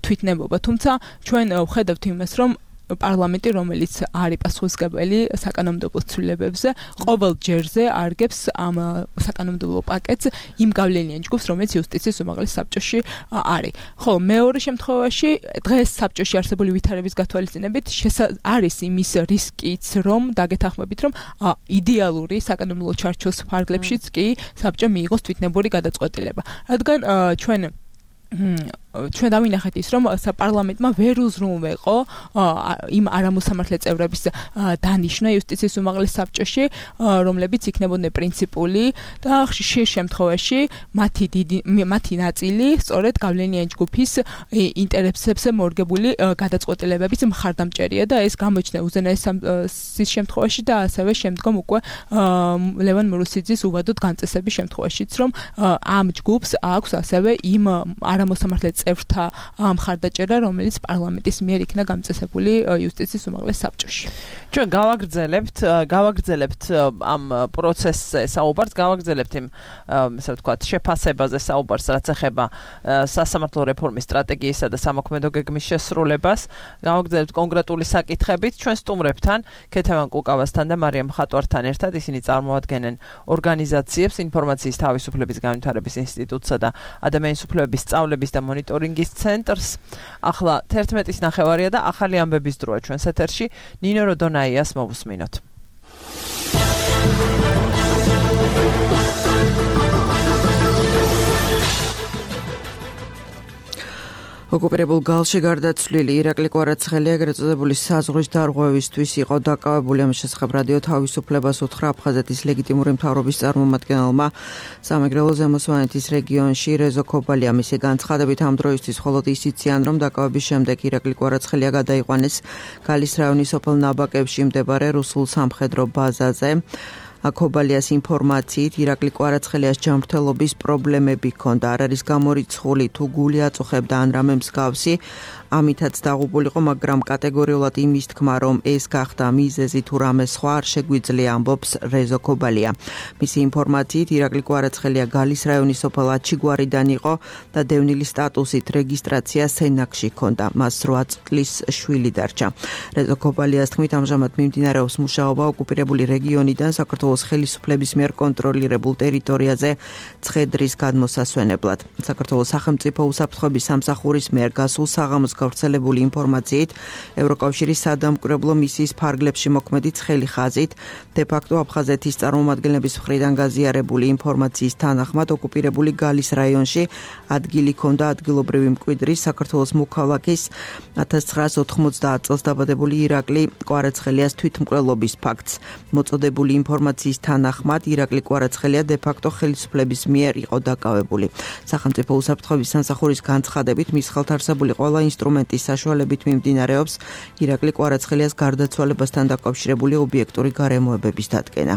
თვითნებობა. თუმცა ჩვენ ვხედავთ იმას, რომ პარლამენტი, რომელიც არის პასუხისმგებელი საკანონმდებლო ცვლილებებზე, ყოველ ჯერზე არგებს ამ საკანონმდებლო პაკეტს იმ გავლენიან ჯგუფს, რომელიც იუსტიციის უმაღლეს საბჭოში არის. ხოლო მეორე შემთხვევაში, დღეს საბჭოში არსებული ვითარების გათვალისწინებით არის იმის რისკიც, რომ დაგეთანხმებით, რომ იდეალური საკანონმდებლო ჩარჩოს ფარგლებშიც კი საბჭომ მიიღოს თვითნებური გადაწყვეტილება. რადგან ჩვენ ჩვენ დავინახეთ ის, რომ საპარლამენტმა ვერ უზრუნველყო იმ არამოსამართლე წევრების დანიშვნა იუსტიციის უმაღლეს საბჭოში, რომლებიც იქნებოდნენ პრინციპული და ხშირ შემთხვევაში მათი დიდი მათი ნაწილი სწორედ გავლენიანი ჯგუფის ინტერესებზე მორგებული გადაწყვეტილებების მხარდამჭერია და ეს გამოჩნდა უზენაესის შემთხვევაში და ასევე შემდგომ უკვე ლევან მურუსიძის უვადოდ განწესების შემთხვევაშიც, რომ ამ ჯგუფს აქვს ასევე იმ არამოსამართლე წევრთა მხარდაჭერა, რომელიც პარლამენტის მიერ იქნა გამწესებული იუსტიციის უმაღლეს საბჭოში. ჩვენ გავაგრძელებთ, გავაგრძელებთ ამ პროცესზე საუბარს, გავაგრძელებთ იმ, ესე ვთქვათ, შეფასებაზე საუბარს, რაც ეხება სასამართლო რეფორმის სტრატეგიისა და სამოქმედო გეგმის შესრულებას. გავაგრძელებთ კონკრეტული საკითხებით ჩვენ სტუმრებთან, ქეთევან კუკავასთან და მარიამ ხატვართან ერთად. ისინი წარმოადგენენ ორგანიზაციებს, ინფორმაციის თავისუფლების განვითარების ინსტიტუტსა და ადამიანის უფლებების სწავლების და მონიტორინგის ცენტრს. ახლა თერთმეტის ნახევარია და ახალი ამბების დროა ჩვენს ეთერში. ნინო როდონაიას მოვუსმინოთ. ოკუპირებულ გალში გარდაცვლილი ირაკლი კვარაცხელი ეგრეთ წოდებული საზღვრის დარღვევისთვის იყო დაკავებული. ამის შესახებ რადიო თავისუფლებას უთხრა აფხაზეთის ლეგიტიმური მთავრობის წარმომადგენელმა სამეგრელო ზემო სვანეთის რეგიონში რეზო ქობალია. მისი განცხადებით ამ დროისთვის მხოლოდ ის იციან, რომ დაკავების შემდეგ ირაკლი კვარაცხელია გადაიყვანეს გალის რაიონის სოფელ ნაბაკებში მდებარე რუსულ სამხედრო ბაზაზე. ქობალიას ინფორმაციით ირაკლი კვარაცხელიას ჯანმრთელობის პრობლემები ჰქონდა, არ არის გამორიცხული თუ გული აწუხებდა ან რამე მსგავსი, ამითაც დაღუპულიყო, მაგრამ კატეგორიულად იმის თქმა, რომ ეს გახდა მიზეზი თუ რამე სხვა არ შეგვიძლია, ამბობს რეზო ქობალია. მისი ინფორმაციით ირაკლი კვარაცხელია გალის რაიონის სოფელ აჩიგვარიდან იყო და დევნილი სტატუსით რეგისტრაცია სენაკში ჰქონდა. მას რვა წლის შვილი დარჩა. რეზო ქობალიას თქმით, ამჟამად მიმდინარეობს მუშაობა ოკუპირებული რეგიონიდან საქართველოს ხელისუფლების მიერ კონტროლირებულ ტერიტორიაზე ცხედრის გადმოსასვენებლად. საქართველოს სახელმწიფო უსაფრთხოების სამსახურის მიერ გასულ საღამოს გავრცელებული ინფორმაციით, ევროკავშირის სადამკვირვებლო მისიის ფარგლებში მოქმედი ცხელი ხაზით, დე-ფაქტო აფხაზეთის წარმომადგენლების მხრიდან გაზიარებული ინფორმაციის თანახმად ოკუპირებული გალის რაიონში ადგილი ჰქონდა ადგილობრივი მკვიდრის საქართველოს მოქალაქის ათას ცხრაას ოთხმოცდაათ წელს დაბადებული ირაკლი კვარაცხელიას თვითმკვლელობის ფაქტს. მოწოდებული ინფორმაციის თანახმად ირაკლი კვარაცხელია დე-ფაქტო ხელისუფლების მიერ იყო დაკავებული. სახელმწიფო უსაფრთხოების სამსახურის განცხადებით მის ხელთარსებული ყველა ინსტრუმენტის საშუალებით მიმდინარეობს ირაკლი კვარაცხელიას გარდაცვალებასთან დაკავშირებული ობიექტური გარემოებების დადგენა.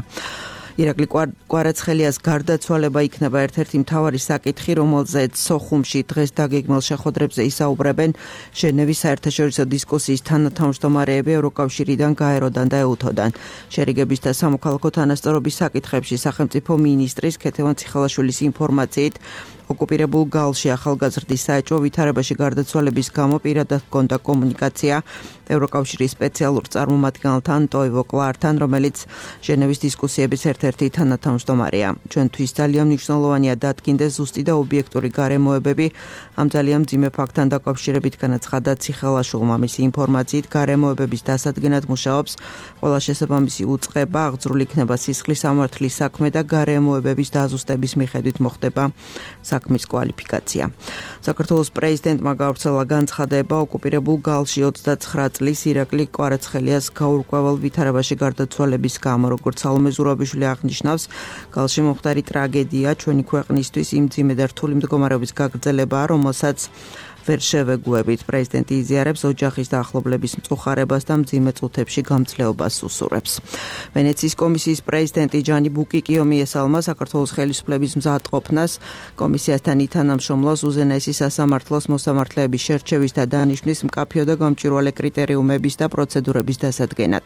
ირაკლი კვარაცხელიას გარდაცვალება იქნება ერთ-ერთი მთავარი საკითხი, რომელზეც სოხუმში დღეს დაგეგმილ შეხვედრებზე ისაუბრებენ ჟენევის საერთაშორისო დისკუსიის თანათავმჯდომარეები ევროკავშირიდან, გაეროდან და ეუთოდან. შერიგების და სამოქალაქო თანასწორობის საკითხებში სახელმწიფო მინისტრის ქეთევან ციხალაშვილის ინფორმაციით, ოკუპირებულ გალში ახალგაზრდის საეჭვო ვითარებაში გარდაცვალების გამო პირადად ჰქონდა კომუნიკაცია ევროკავშირის სპეციალურ წარმომადგენელთან ტოივო კლართან, რომელიც ჟენევის დისკუსიების ერთ-ერთი თანათავმჯდომარეა. ჩვენთვის ძალიან მნიშვნელოვანია დადგინდეს ზუსტი და ობიექტური გარემოებები ამ ძალიან მძიმე ფაქტთან დაკავშირებით, განაცხადა ციხალაშვილმა. მისი ინფორმაციით, გარემოებების დასადგენად მუშაობს ყველა შესაბამისი უწყება, აღძრული იქნება სისხლის სამართლის საქმე და გარემოებების დაზუსტების მიხედვით მოხდება საქმის კვალიფიკაცია. საქართველოს პრეზიდენტმა გავრცელა განცხადება ოკუპირებულ გალში ოცდაცხრა წლის ირაკლი კვარაცხელიას გაურკვეველ ვითარებაში გარდაცვალების გამო, როგორც სალომე ზურაბიშვილი აღნიშნავს, გალში მომხდარი ტრაგედია ჩვენი ქვეყნისთვის იმ მძიმე და რთული მდგომარეობის გაგრძელებაა, რომელსაც ვერ შევეგუებით. პრეზიდენტი იზიარებს ოჯახის და ახლობლების მწუხარებას და მძიმე წუთებში გამძლეობას უსურვებს. ვენეციის კომისიის პრეზიდენტი ჯანი ბუკიკიო მიესალმა საქართველოს ხელისუფლების მზადყოფნას, კომისიასთან ითანამშრომლოს უზენაესი სასამართლოს მოსამართლეების შერჩევის და დანიშვნის მკაფიო და გამჭვირვალე კრიტერიუმების და პროცედურების დასადგენად.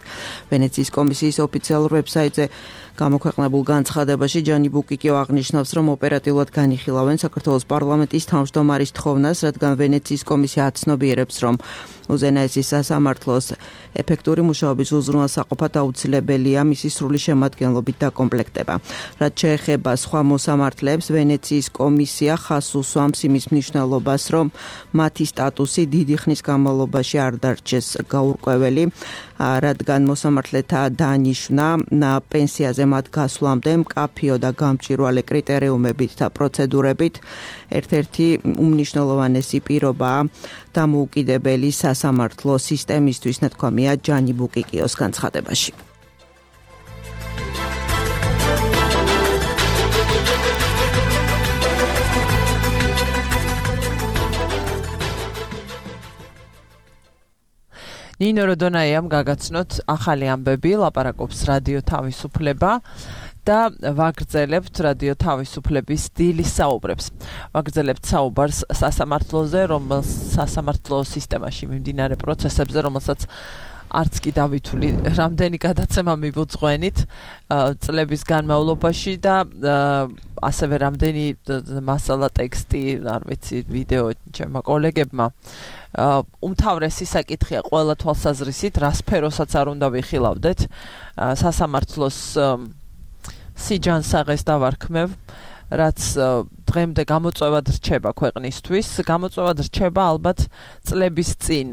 ვენეციის კომისიის ოფიციალურ ვებსაიტზე გამოქვეყნებულ განცხადებაში ჯანი ბუკიკიო აღნიშნავს, რომ ოპერატიულად განიხილავენ საქართველოს პარლამენტის თავმჯდომარის თხოვნას, რადგან ვენეციის კომისია აცნობიერებს, რომ უზენაესი სასამართლოს ეფექტური მუშაობის უზრუნველსაყოფად აუცილებელია მისი სრული შემადგენლობით დაკომპლექტება. რაც შეეხება სხვა მოსამართლეებს, ვენეციის კომისია ხაზს უსვამს იმის მნიშვნელობას, რომ მათი სტატუსი დიდი ხნის განმავლობაში არ დარჩეს გაურკვეველი, რადგან მოსამართლეთა დანიშვნა პენსიაზე მათ გასვლამდე მკაფიო და გამჭვირვალე კრიტერიუმებით და პროცედურებით. ერთ-ერთი უმნიშვნელოვანესი პირობაა დამოუკიდებელი სასამართლო სისტემისთვის, ნათქვამია ჯანი ბუკიკიოს განცხადებაში. ნინო როდონაიამ გაგაცნოთ ახალი ამბები, ლაპარაკობს რადიო თავისუფლება და ვაგრძელებთ რადიო თავისუფლების დილის საუბრებს. ვაგრძელებთ საუბარს სასამართლოზე, რომელს სასამართლო სისტემაში მიმდინარე პროცესებზე, რომელსაც არც კი დავითვლი რამდენი გადაცემა მივუძღვენით წლების განმავლობაში და ასევე რამდენი მასალა ტექსტი, არ ვიცი, ვიდეო ჩემმა კოლეგებმა უმთავრესი საკითხია ყველა თვალსაზრისით, რა სფეროსაც არ უნდა ვიხილავდეთ, სასამართლოს სიჯანსაღეს დავარქმევ, რაც დღემდე გამოწვევად რჩება ქვეყნისთვის, გამოწვევად რჩება ალბათ წლების წინ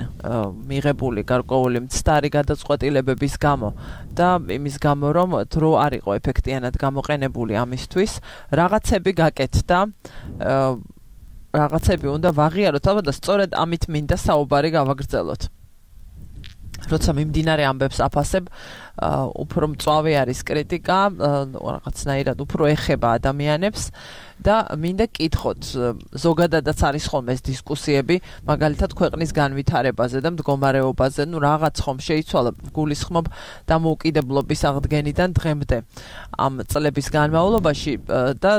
მიღებული გარკვეული მცდარი გადაწყვეტილებების გამო და იმის გამო, რომ დრო არ იყო ეფექტიანად გამოყენებული ამისთვის, რაღაცები გაკეთდა, რაღაცები უნდა ვაღიაროთ, ალბათ და სწორედ ამით მინდა საუბარი გავაგრძელოთ. როცა მიმდინარე ამბებს აფასებ, უფრო მწვავე არის კრიტიკა, რაღაცნაირად უფრო ეხება ადამიანებს და მინდა კითხოთ, ზოგადადაც არის ხოლმე ეს დისკუსიები, მაგალითად ქვეყნის განვითარებაზე და მდგომარეობაზე, ნუ რაღაც ხომ შეიცვალა, გულისხმობ დამოუკიდებლობის აღდგენიდან დღემდე ამ წლების განმავლობაში და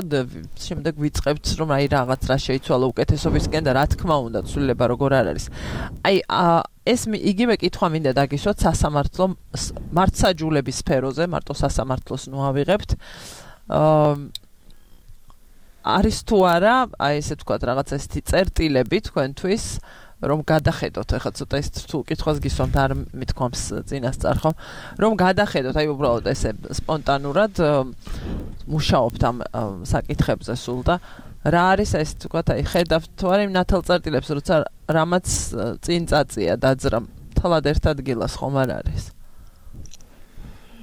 შემდეგ ვიწყებთ, რომ აი რაღაც რა შეიცვალა უკეთესობისკენ და რა თქმა უნდა, ცვლილება როგორ არ არის. აი ეს იგივე კითხვა მინდა დაგისვათ სასამართლო მართსაჯულების სფეროზე, მარტო სასამართლოს ნუ ავიღებთ. არის თუ არა, აი ესე ვთქვათ, რაღაც ესეთი წერტილები თქვენთვის, რომ გადახედოთ, ეხლა ცოტა ის რთულ კითხვას გისვამთ, არ მithქვამს წინასწარ ხო, რომ გადახედოთ, აი უბრალოდ ესე სპონტანურად მუშაობთ ამ საკითხებზე სულ და რა არის ეს თქვათ, აი ხედავთ თუ არა იმ ნათელწერტილებს, როცა რამაც წინ წაწია დაძრა, თალად ერთ ადგილას ხომ არ არის.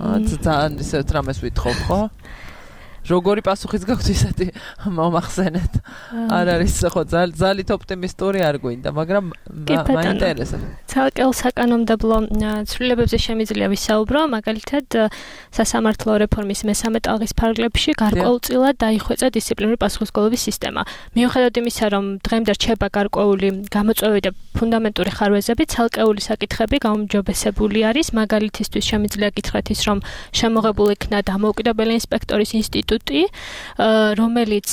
აა ძალიან ისე რამეს ვითხოვ ხო? როგორი პასუხიც გაქვთ ისეთი მომახსენეთ. არ არის ხო ძალით ოპტიმისტური არ გვინდა, მაგრამ მაინტერესებს. ცალკეულ საკანონმდებლო ცვლილებებზე შემიძლია ვისაუბრო, მაგალითად სასამართლო რეფორმის მესამე ტალღის ფარგლებში გარკვეულწილად დაიხვეწა დისციპლინური პასუხისმგებლობის სისტემა. მიუხედავად იმისა, რომ დღემდე რჩება გარკვეული გამოწვევები და ფუნდამენტური ხარვეზები, ცალკეული საკითხები გაუმჯობესებული არის. მაგალითისთვის შემიძლია გითხრათ ის, რომ შემოღებულ იქნა დამოუკიდებელი ინსპექტორის ინსტიტუტი, რომელიც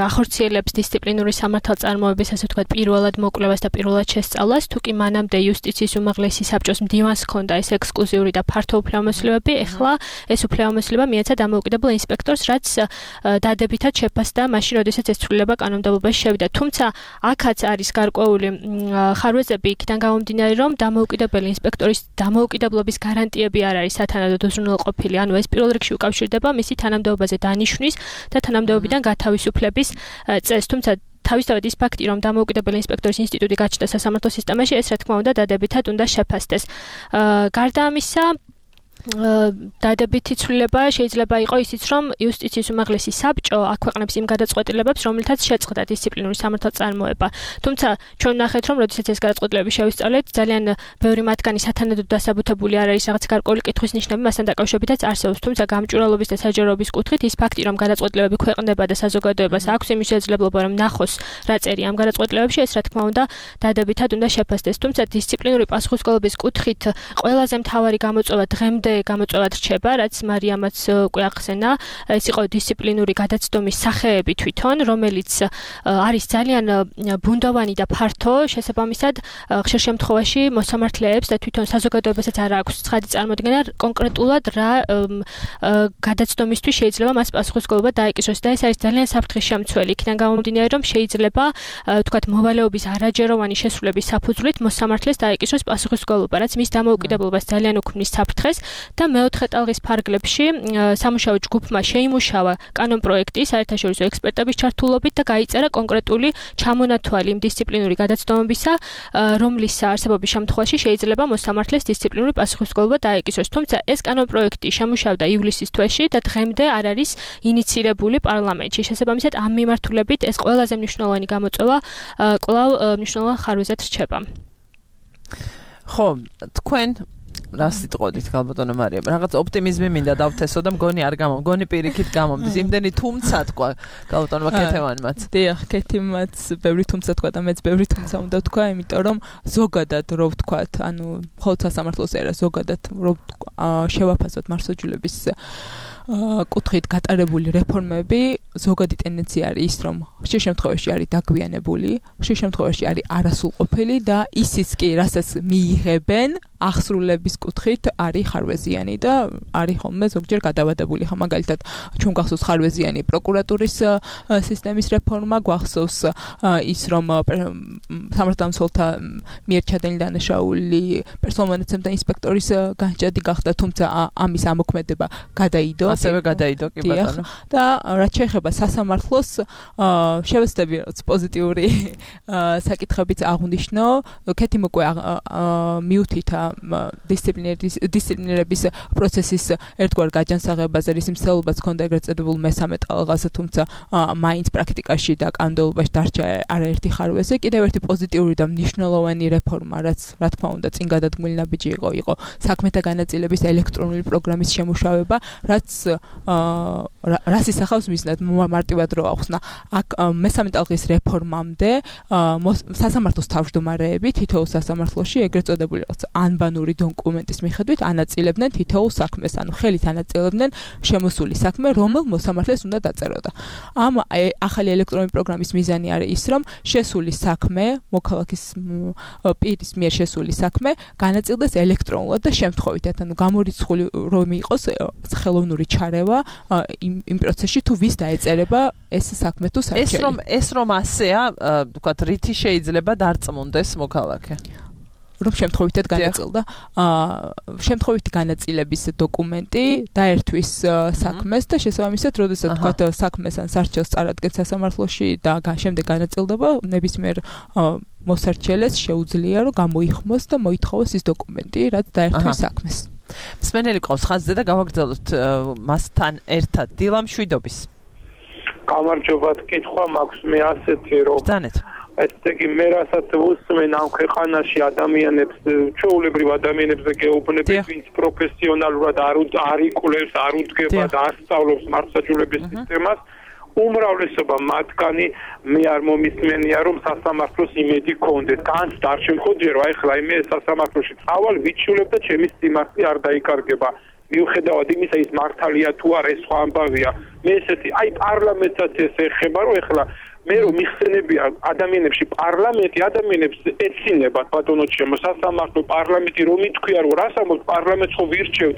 ახორციელებს დისციპლინური სამართალწარმოების, ასე ვთქვათ, პირველად მოკვლევას და პირველად შესწავლას, თუ კი მანამდე იუსტიციის უმაღლესი საბჭოს მდივანს ჰქონდა ეს ექსკლუზიური და ფართო უფლებამოსილებები, ეხლა ეს უფლებამოსილება მიეცა დამოუკიდებელ ინსპექტორს, რაც დადებითად შეფასდა მაშინ, როდესაც ეს ცვლილება კანონმდებლობაში შევიდა. თუმცა აქაც არის გარკვეული ხარვეზები იქიდან გამომდინარე, რომ დამოუკიდებელი ინსპექტორის დამოუკიდებლობის გარანტიები არ არის სათანადოდ უზრუნველყოფილი, ანუ ეს პირველ რიგში უკავშირდება მისი თანამდებობაზე დანიშვნის და თანამდებობიდან გათავისუფლების წესს. თუმცა თავისთავად ის ფაქტი, რომ დამოუკიდებელი ინსპექტორის ინსტიტუტი გაჩნდა სასამართლო სისტემაში, ეს რა თქმა უნდა დადებითად უნდა შეფასდეს. გარდა ამისა, დადებითი ცვლილება შეიძლება იყოს ისიც, რომ იუსტიციის უმაღლესი საბჭო აქვეყნებს იმ გადაწყვეტილებებს, რომლითაც შეწყდა დისციპლინური სამართალწარმოება. თუმცა ჩვენ ვნახეთ, რომ როდესაც ეს გადაწყვეტილებები შევისწავლეთ, ძალიან ბევრი მათგანი სათანადოდ დასაბუთებული არ არის, რაღაც გარკვეული კითხვის ნიშნები მასთან დაკავშირებითაც არსებობს. თუმცა გამჭვირვალობის და საჯაროების კუთხით ის ფაქტი, რომ გადაწყვეტილებები ქვეყნდება და საზოგადოებას აქვს იმის შესაძლებლობა, რომ ნახოს რა წერია ამ გადაწყვეტილებებში, ეს რა თქმა უნდა დადებითად უნდა შეფასდეს. თუმცა დისციპლინური პასუხისმგებლობის კუთხით ყველაზე მთავარი გამოწვევა დღემდე გამოწვევად რჩება, რაც მარიამაც უკვე ახსენა, ეს იყო დისციპლინური გადაცდომის სახეები თვითონ, რომელიც არის ძალიან ბუნდოვანი და ფართო, შესაბამისად ხშირ შემთხვევაში მოსამართლეებს და თვითონ საზოგადოებასაც არ აქვს ცხადი წარმოდგენა კონკრეტულად რა გადაცდომისთვის შეიძლება მას პასუხისმგებლობა დაეკისროს და ეს არის ძალიან საფრთხის შემცველი. იქიდან გამომდინარე, რომ შეიძლება თქვათ მოვალეობის არაჯეროვანი შესრულების საფუძვლით მოსამართლეს დაეკისროს პასუხისმგებლობა, რაც მის დამოუკიდებლობას ძალიან უქმნის საფრთხეს. და მეოთხე ტალღის ფარგლებში სამუშაო ჯგუფმა შეიმუშავა კანონპროექტი საერთაშორისო ექსპერტების ჩართულობით და გაიწერა კონკრეტული ჩამონათვალი იმ დისციპლინური გადაცდომებისა, რომლის არსებობის შემთხვევაში შეიძლება მოსამართლეს დისციპლინური პასუხისმგებლობა დაეკისროს. თუმცა ეს კანონპროექტი შემუშავდა ივლისის თვეში და დღემდე არ არის ინიცირებული პარლამენტში. შესაბამისად, ამ მიმართულებით ეს ყველაზე მნიშვნელოვანი გამოწვევა კვლავ მნიშვნელოვან ხარვეზად რჩება. ხო, თქვენ რა სიტყვით გალბატონო მარიამ, რაღაც ოპტიმიზმი მინდა დავთესო და მგონი არ გამო, მგონი პირიქით გამომდის. იმდენი თუმცა თქვა გალბატონმა ქეთევანმაც. დიახ, ქეთიმაც ბევრი თუმცა თქვა და მეც ბევრი თუმცა უნდა თქვა, იმიტომ რომ ზოგადად რო ვთქვათ, ანუ მხოლოდ სასამართლოს ერა ზოგადად რო შევაფასოთ მართლმსაჯულების კუთხით გატარებული რეფორმები, ზოგადი ტენდენცია არის ის, რომ ხშირ შემთხვევაში არის დაგვიანებული, ხშირ შემთხვევაში არის არასრულყოფილი და ისიც კი, რასაც მიიღებენ, აღსრულების კუთხით არის ხარვეზიანი და არის ხოლმე ზოგჯერ გადავადებული. ხა მაგალითად, ჩვენ გახსოვს ხარვეზიანი პროკურატურის სისტემის რეფორმა, გვახსოვს ის, რომ სამართალდამცველთა მიერ ჩადენილი დანაშაული პერსონალმონაცემთა ინსპექტორის განჭადი გახდა, თუმცა ამის ამოქმედება გადაიდო. ასევე გადაიდო კი ბატონო. და რაც შეეხება სასამართლოს, შევეცდები პოზიტიური საკითხებიც აღვნიშნო. ქეთი მოკვე მიუთითა დისციპლინირების პროცესის ერთგვარ გაჯანსაღებაზე, რის მსვლელობაც ჰქონდა ეგრეთ წოდებულ მესამე ტალღაზე, თუმცა მაინც პრაქტიკაში და კანონმდებლობაში დარჩა არაერთი ხარვეზი. კიდევ ერთი პოზიტიური და მნიშვნელოვანი რეფორმა, რაც რა თქმა უნდა წინ გადადგმული ნაბიჯი იყო, იყო საქმეთა განაწილების ელექტრონული პროგრამის შემუშავება, რაც რას ისახავს მიზნად მარტივად რო ახსნა. აქ მესამე ტალღის რეფორმამდე სასამართლოს თავმჯდომარეები თითოეულ სასამართლოში ეგრეთ წოდებული რაღაც ანბანური დოკუმენტის მიხედვით ანაწილებდნენ თითოეულ საქმეს, ანუ ხელით ანაწილებდნენ შემოსული საქმე, რომელ მოსამართლეს უნდა დაწეროდა. ამ ახალი ელექტრონული პროგრამის მიზანი არის ის, რომ შესული საქმე, მოქალაქის პირის მიერ შესული საქმე განაწილდეს ელექტრონულად და შემთხვევითად, ანუ გამორიცხული რომ იყოს ხელოვნური ჩარევა იმ იმ პროცესში თუ ვის დაეწერება ეს საქმე თუ საქმე. ეს რომ ეს რომ ასეა, ვთქვათ, რითი შეიძლება დარწმუნდეს მოქალაქე? რომ შემთხვევითად განაწილდა შემთხვევითი განაწილების დოკუმენტი დაერთვის საქმეს და შესაბამისად, როდესაც თქვათ საქმეს ან სარჩელს წარადგენს სასამართლოში და შემდეგ განაწილდება, ნებისმიერ მოსარჩელეს შეუძლია რომ გამოიხმოს და მოითხოვოს ის დოკუმენტი, რაც დაერთვის საქმეს. მსმენელი ყავს ხაზზე და გავაგრძელოთ მასთან ერთად დილა მშვიდობის. გამარჯობა, კითხვა მაქვს მე ასეთი რომ ბრძანეთ. ესე იგი მე რასაც უსმენ ამ ქვეყანაში ადამიანებს, ჩვეულებრივ ადამიანებს გეუბნებით, ვინც პროფესიონალურად არ არ იკვლევს, არ უდგება და არ სწავლობს მართლმსაჯულების სისტემას, უმრავლესობა მათგანი მე არ მომისმენია რომ სასამართლოს იმედი გქონდეთ. განცდა არ შემხოდირო, აი ხლა მე სასამართლოში წავალ, ვიჩულებ და ჩემი სიმართლე არ დაიკარგება. მიუხედავად იმისა, ის მართალია თუ არა, ეს სხვა ამბავია. მე ესეთი, აი პარლამენტსაც ეს ეხება, რომ ეხლა მე რომ მიხსენებია ადამიანებში პარლამენტი ადამიანებს ეცინებათ ბატონო ჩემო სასამართლო პარლამენტი რომ ითქვია რომ რას ამბობთ პარლამენტს ხო ვირჩევთ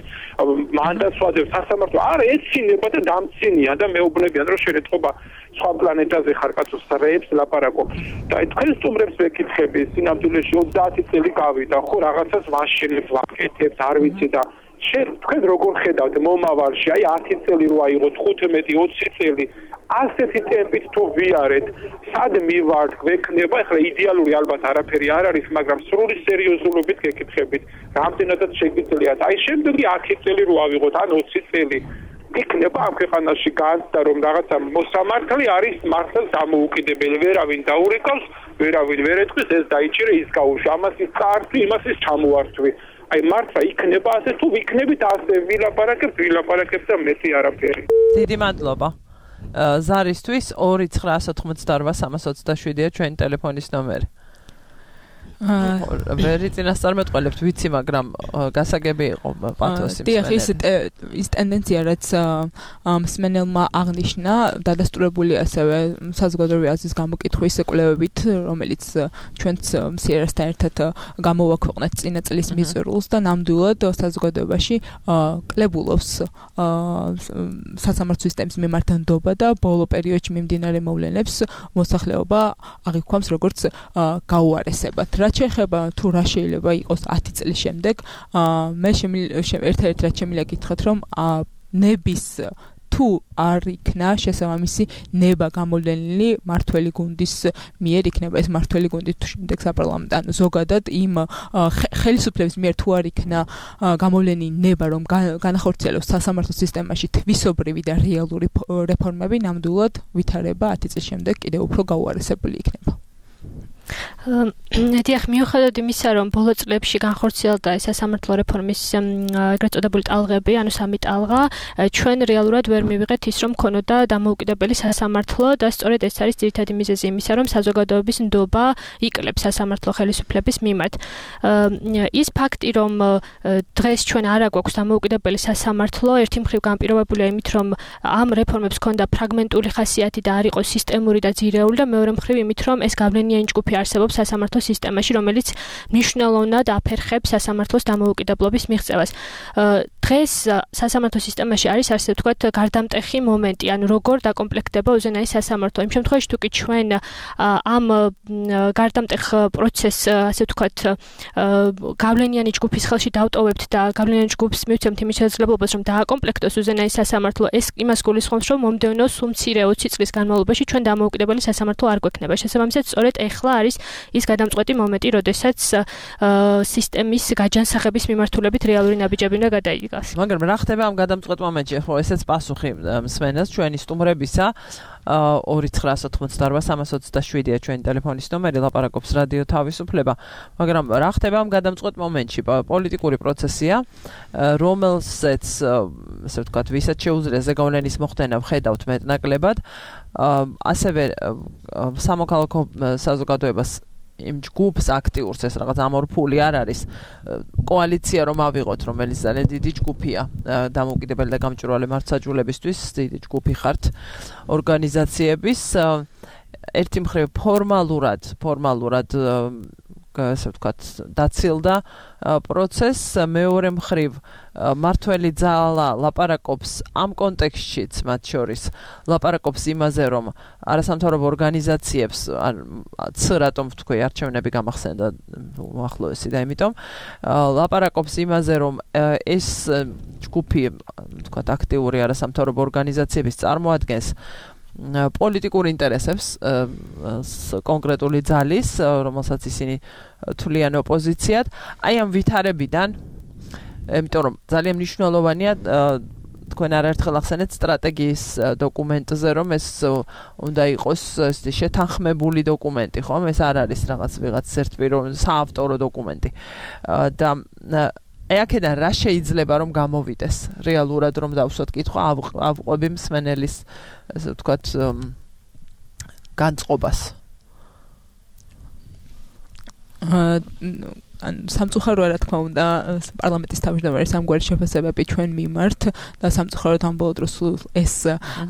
მანდატს ვაძლევთ სასამართლო არა ეცინება და დამცინია და მეუბნებიან რომ შერეთყობა სხვა პლანეტაზე ხარ კაცო სრეებს ლაპარაკო და თქვენ სტუმრებს ვეკითხები სინამდვილეში ოცდაათი წელი გავიდა ხო რაღაცას ვაშენებ ვაკეთებ არ ვიცი და შენ თქვენ როგორ ხედავთ მომავალში აი ათი წელი რო აიღოთ ხუთმეტი ოცი წელი ასეთი ტემპით თუ ვიარეთ, სად მივართ, გვექნება, ახლა იდეალური ალბათ არაფერი არ არის, მაგრამ სრული სერიოზულობით გეკითხებით, რამდენადაც შეგიძლიათ. აი შემდეგი ათი წელი რო ავიღოთ, ან ოცი წელი, იქნება ამ ქვეყანაში განცდა, რომ რაღაცა მოსამართლე არის მართლაც დამოუკიდებელი, ვერავინ დაურეკავს, ვერავინ ვერ ეთქვის, ეს დაიჭირე, ის გაუშვა, ამას ის წაართვი, იმას ის ჩამოართვი. აი მართლა იქნება ასე თუ ვიქნებით ასე, ვილაპარაკებთ, ვილაპარაკებთ და მეტი არაფერი. დიდი მადლობა. ზარისთვის ორი ცხრაასი ოცდაოთხი სამას ოცდაშვიდია ჩვენი ტელეფონის ნომერი. ვერი წინასწარმეტყველებთ ვიცი, მაგრამ გასაგები იყო პათოსი. დიახ, ის ის ტენდენცია, რაც მსმენელმა აღნიშნა, დადასტურებული ასევე საზოგადოებრივი აზრის გამოკითხვის კვლევებით, რომელიც ჩვენც სიერასთან ერთად გამოვაქვეყნეთ წინა წლის მიზერულს და ნამდვილად საზოგადოებაში კლებულობს სასამართლო სისტემის მიმართანდობა და ბოლო პერიოდში მიმდინარე მოვლენებს მოსახლეობა აღიქვამს როგორც გაუარესებად. რაც შეეხება თუ რა შეიძლება იყოს ათი წლის შემდეგ, მე ერთ-ერთ რაც შემიძლია გითხრათ, რომ ნების თუ არ იქნა შესაბამისი ნება გამოვლენილი მართველი გუნდის მიერ იქნება ეს მართველი გუნდი თუ შემდეგ საპარლამენტო ანუ ზოგადად იმ ხელისუფლების მიერ თუ არ იქნა გამოვლენილი ნება რომ განახორციელოს სასამართლო სისტემაში თვისობრივი და რეალური რეფორმები ნამდვილად ვითარება ათი წლის შემდეგ კიდევ უფრო გაუარესებული იქნება. დიახ, მიუხედავად იმისა, რომ ბოლო წლებში განხორციელდა სასამართლო რეფორმის ეგრეთ წოდებული ტალღები, ანუ სამი ტალღა, ჩვენ რეალურად ვერ მივიღეთ ის, რომ ქონოდა დამოუკიდებელი სასამართლო და სწორედ ეს არის ძირითადი მიზეზი იმისა, რომ საზოგადოების ნდობა იკლებს სასამართლო ხელისუფლების მიმართ. ის ფაქტი, რომ დღეს ჩვენ არ აგვაქვს დამოუკიდებელი სასამართლო, ერთი მხრივ განპირობებულია იმით, რომ ამ რეფორმებს ჰქონდა ფრაგმენტული ხასიათი და არ იყო სისტემური და ძირეული და მეორე მხრივ იმით, რომ ეს გავლენიანი ჯგუფი არსებობს სასამართლო სისტემაში, რომელიც მნიშვნელოვნად აფერხებს სასამართლოს დამოუკიდებლობის მიღწევას. დღეს სასამართლო სისტემაში არის ასე ვთქვათ გარდამტეხი მომენტი, ანუ როგორ დაკომპლექტდება უზენაესი სასამართლო. იმ შემთხვევაში თუ კი ჩვენ ამ გარდამტეხ პროცესს ასე ვთქვათ გავლენიანი ჯგუფის ხელში დავტოვებთ და გავლენიანი ჯგუფს მივცემთ იმის შესაძლებლობას, რომ დააკომპლექტოს უზენაესი სასამართლო, ეს იმას გულისხმობს, რომ მომდევნო სულ მცირე ოცი წლის განმავლობაში ჩვენ დამოუკიდებელი სასამართლო არ გვექნება. შესაბამისად, სწორედ ეხლა არის ის გადამწყვეტი მომენტი, როდესაც სისტემის გაჯანსაღების მიმართულებით რეალური ნაბიჯები უნდა გადაიგას. მაგრამ რა ხდება ამ გადამწყვეტ მომენტში? ხო, ესეც პასუხი მსმენელს ჩვენი სტუმრებისა. ორი ცხრა ოცდაოთხმოცდაორბა სამას ოცდაშვიდია ჩვენი ტელეფონის ნომერი, ლაპარაკობს რადიო თავისუფლება. მაგრამ რა ხდება ამ გადამწყვეტ მომენტში? პოლიტიკური პროცესია, რომელსაც ასე ვთქვათ, ვისაც შეუძლია ზეგავლენის მოხდენა ვხედავთ მეტნაკლებად. ასევე სამოქალაქო საზოგადოებას იმ ჯგუფს აქტიურს ეს რაღაც ამორფული არ არის კოალიცია რომ ავიღოთ, რომელიც ძალიან დიდი ჯგუფია დამოუკიდებელი და გამჭვირვალე მართლმსაჯულებისთვის, დიდი ჯგუფი ხართ ორგანიზაციების. ერთი მხრივ ფორმალურად, ფორმალურად ასე ვთქვათ, დაცილდა პროცესს, მეორე მხრივ მართველი ძალა ლაპარაკობს ამ კონტექსტშიც, მათ შორის ლაპარაკობს იმაზე, რომ არასამთავრობო ორგანიზაციებს ც რატომ ვთქვი, არჩევნები გამახსენდა უახლოესი და იმიტომ ლაპარაკობს იმაზე, რომ ეს ჯგუფი, ვთქვათ, აქტიური არასამთავრობო ორგანიზაციების წარმოადგენს პოლიტიკურ ინტერესებს კონკრეტული ძალის, რომელსაც ისინი თვლიან ოპოზიციად. აი ამ ვითარებიდან, იმიტომ რომ ძალიან მნიშვნელოვანია თქვენ არაერთხელ ახსენეთ სტრატეგიის დოკუმენტზე, რომ ეს უნდა იყოს შეთანხმებული დოკუმენტი, ხო? ეს არ არის რაღაც ვიღაც ერთპიროვნული საავტორო დოკუმენტი. და აი აქედან რა შეიძლება რომ გამოვიდეს რეალურად რომ დავსვათ კითხვა ავყვები მსმენელის ასე ვთქვათ განწყობას. ან სამწუხაროა რა თქმა უნდა პარლამენტის თავმჯდომარის ამგვარი შეფასებები ჩვენ მიმართ და სამწუხაროდ ამ ბოლო დროს ეს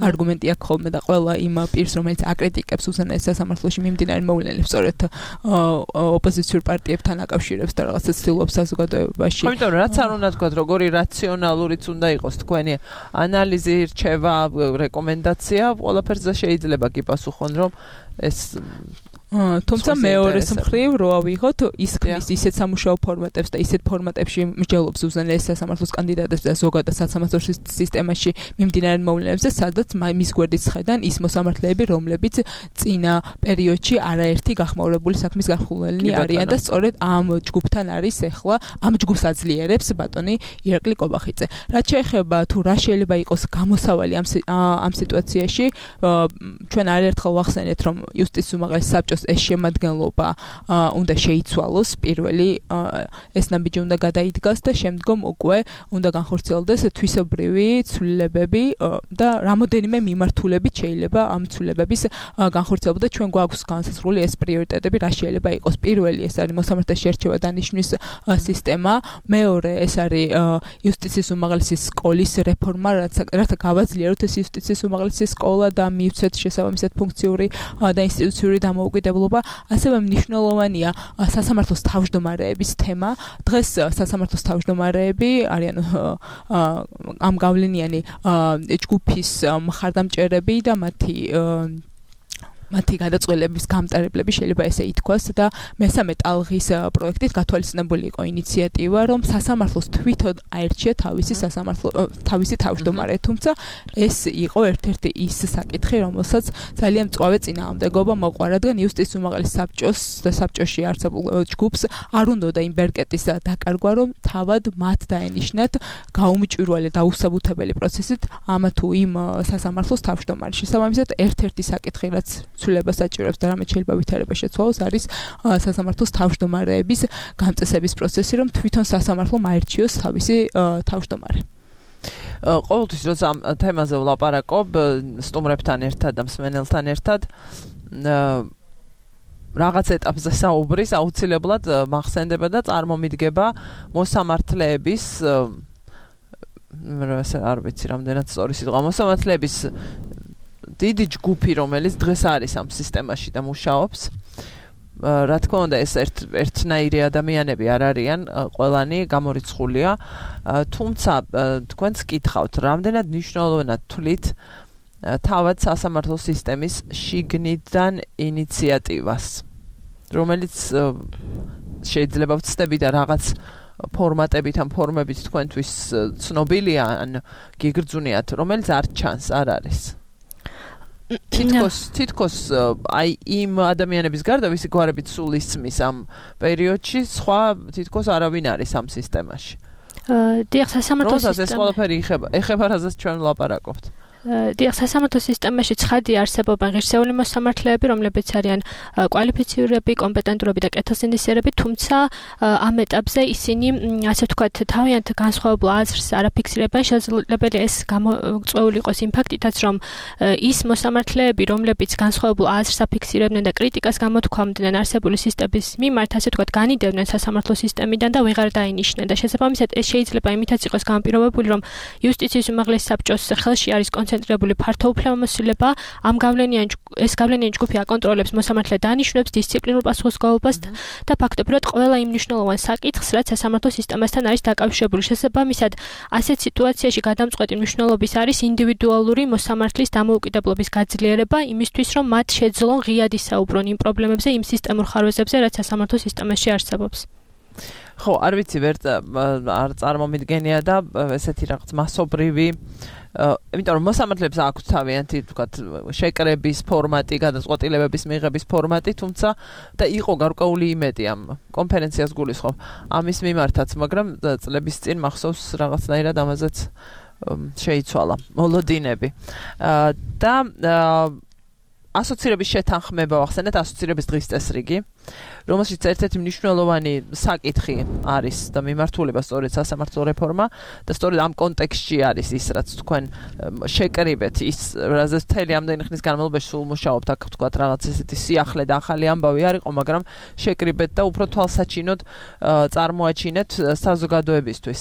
არგუმენტი აქვს ხოლმე და ყველა იმ პირს რომელიც აკრიტიკებს უზენაეს სასამართლოში მიმდინარე მოვლენებს სწორედ ოპოზიციურ პარტიებთან აკავშირებს და რაღაცა ცდილობს საზოგადოებაში. იმიტომ რომ რაც არ უნდა თქვა როგორი რაციონალურიც უნდა იყოს თქვენი ანალიზი, რჩევა, რეკომენდაცია, ყველაფერზე შეიძლება გიპასუხონ რომ ეს თუმცა მეორეს მხრივ რო ავიღოთ ის ქმნის ისეთ სამუშაო ფორმატებს და ისეთ ფორმატებში მსჯელობს უზენაეს სასამართლოს კანდიდატებს და ზოგადად სასამართლო სისტემაში მიმდინარე მოვლენებზე, სადაც მის გვერდით ხედან ის მოსამართლეები, რომლებიც წინა პერიოდში არაერთი გახმაურებული საქმის გახულელნი არიან და სწორედ ამ ჯგუფთან არის ეხლა ამ ჯგუფს აძლიერებს ბატონი ირაკლი კობახიძე. რაც შეეხება თუ რა შეიძლება იყოს გამოსავალი ამ ამ სიტუაციაში, ჩვენ არაერთხელ ვახსენეთ, რომ იუსტიციის უმაღლესი საბჭოს ეს შემადგენლობა უნდა შეიცვალოს, პირველი ეს ნაბიჯი უნდა გადაიდგას და შემდგომ უკვე უნდა განხორციელდეს თვისობრივი ცვლილებები და რამოდენიმე მიმართულებით შეიძლება ამ ცვლილებების განხორციელება და ჩვენ გვაქვს განსაზღვრული ეს პრიორიტეტები რა შეიძლება იყოს. პირველი ეს არის მოსამართლეთა შერჩევა დანიშვნის სისტემა, მეორე ეს არის იუსტიციის უმაღლესი სკოლის რეფორმა, რათა გავაძლიეროთ ეს იუსტიციის უმაღლესი სკოლა და მივცეთ შესაბამისად ფუნქციური და ინსტიტუციური დამოუკიდებლობა. ასევე მნიშვნელოვანია სასამართლოს თავმჯდომარეების თემა. დღეს სასამართლოს თავმჯდომარეები არიან ამ გავლენიანი ჯგუფის მხარდამჭერები და მათი მათი გადაწყვეტილების გამტარებლები შეიძლება ესე ითქვას და მესამე ტალღის პროექტით გათვალისწინებული იყო ინიციატივა, რომ სასამართლოს თვითონ აერჩია თავისი სასამართლო თავისი თავმჯდომარე, თუმცა ეს იყო ერთ-ერთი ის საკითხი, რომელსაც ძალიან მწვავე წინააღმდეგობა მოყვა, რადგან იუსტიციის უმაღლეს საბჭოს და საბჭოში არსებულ ჯგუფს არ უნდოდა იმ ბერკეტის დაკარგვა, რომ თავად მათ დაენიშნათ გაუმჭვირვალე და უსაბუთებელი პროცესით ამა თუ იმ სასამართლოს თავმჯდომარე. შესაბამისად, ერთ-ერთი საკითხი, რაც ცვლილებას საჭიროებს და რამე შეიძლება ვითარება შეცვალოს, არის სასამართლოს თავმჯდომარეების გამწესების პროცესი, რომ თვითონ სასამართლომ აერჩიოს თავისი თავმჯდომარე. ყოველთვის როცა ამ თემაზე ვლაპარაკობ სტუმრებთან ერთად და მსმენელთან ერთად რაღაც ეტაპზე საუბრის აუცილებლად მახსენდება და წარმომიდგება მოსამართლეების არ ვიცი რამდენად სწორი სიტყვა მოსამართლეების დიდი ჯგუფი, რომელიც დღეს არის ამ სისტემაში და მუშაობს. რა თქმა უნდა, ეს ერთ ერთნაირი ადამიანები არ არიან, ყველანი გამორიცხულია, თუმცა თქვენც გითხავთ, რამდენად მნიშვნელოვნად თვლით თავად სასამართლო სისტემის შიგნიდან ინიციატივას, რომელიც შეიძლება ვცდები და რაღაც ფორმატებით ან ფორმებით თქვენთვის ცნობილია ან გიგრძუნიათ, რომელიც არ ჩანს, არ არის. თითქოს თითქოს აი იმ ადამიანების გარდა ვისი გვარებით სულ ისმის ამ პერიოდში, სხვა თითქოს არავინ არის ამ სისტემაში. დიახ, სასამართლო სისტემა. როცა ეს ყველაფერი ეხება, ეხება რაზეც ჩვენ ვლაპარაკობთ. დიახ, სასამართლო სისტემაში ცხადი არსებობენ ღირსეული მოსამართლეები, რომლებიც არიან კვალიფიცირებული, კომპეტენტურები და კეთილსინდისიერები, თუმცა ამ ეტაპზე ისინი, ასე ვთქვათ, თავიანთ განსხვავებულ აზრს არ აფიქსირებენ. შესაძლებელია ეს გამოწვეული იყოს იმ ფაქტითაც, რომ ის მოსამართლეები, რომლებიც განსხვავებულ აზრს აფიქსირებდნენ და კრიტიკას გამოთქვამდნენ არსებული სისტემის მიმართ, ასე ვთქვათ, განიდევდნენ სასამართლო სისტემიდან და ვეღარ დაინიშნენ. და შესაბამისად, ეს შეიძლება იმითაც იყოს განპირობებული, რომ იუსტიციის უმაღლეს საბჭოს ხელში არის კონცენტრირებული ფართო უფლებამოსილება, ამ გავლენიან ეს გავლენიანი ჯგუფი აკონტროლებს მოსამართლე დანიშნულებს, დისციპლინურ პასუხისმგებლობას და ფაქტობრივად ყველა იმ მნიშვნელოვან საკითხს, რაც სასამართლო სისტემასთან არის დაკავშირებული. შესაბამისად, ასეთ სიტუაციაში გადამწყვეტი მნიშვნელობის არის ინდივიდუალური მოსამართლის დამოუკიდებლობის გაძლიერება იმისთვის, რომ მათ შეძლონ ღიად ისაუბრონ იმ პრობლემებზე, იმ სისტემურ ხარვეზებზე, რაც სასამართლო სისტემაში არსებობს. ხო, არ ვიცი, ვერ არ წარმომიდგენია და ესეთი რაღაც მასობრივი იმიტომ რომ მოსამართლეებს აქვს თავიანთი ვთქვათ შეკრების ფორმატი, გადაწყვეტილებების მიღების ფორმატი, თუმცა და იყო გარკვეული იმედი ამ კონფერენციას გულისხმობ ამის მიმართაც, მაგრამ წლების წინ მახსოვს რაღაცნაირად ამაზეც შეიცვალა მოლოდინები. და ასოცირების შეთანხმება ვახსენეთ, ასოცირების დღის წესრიგი, რომელშიც ერთ-ერთი მნიშვნელოვანი საკითხი არის და მიმართულება სწორედ სასამართლო რეფორმა და სწორედ ამ კონტექსტში არის ის, რაც თქვენ შეკრიბეთ, ის რაზეც მთელი ამდენი ხნის განმავლობაში სულ მუშაობთ, აქ ვთქვათ რაღაც ესეთი სიახლე და ახალი ამბავი არ იყო, მაგრამ შეკრიბეთ და უფრო თვალსაჩინოდ წარმოაჩინეთ საზოგადოებისთვის.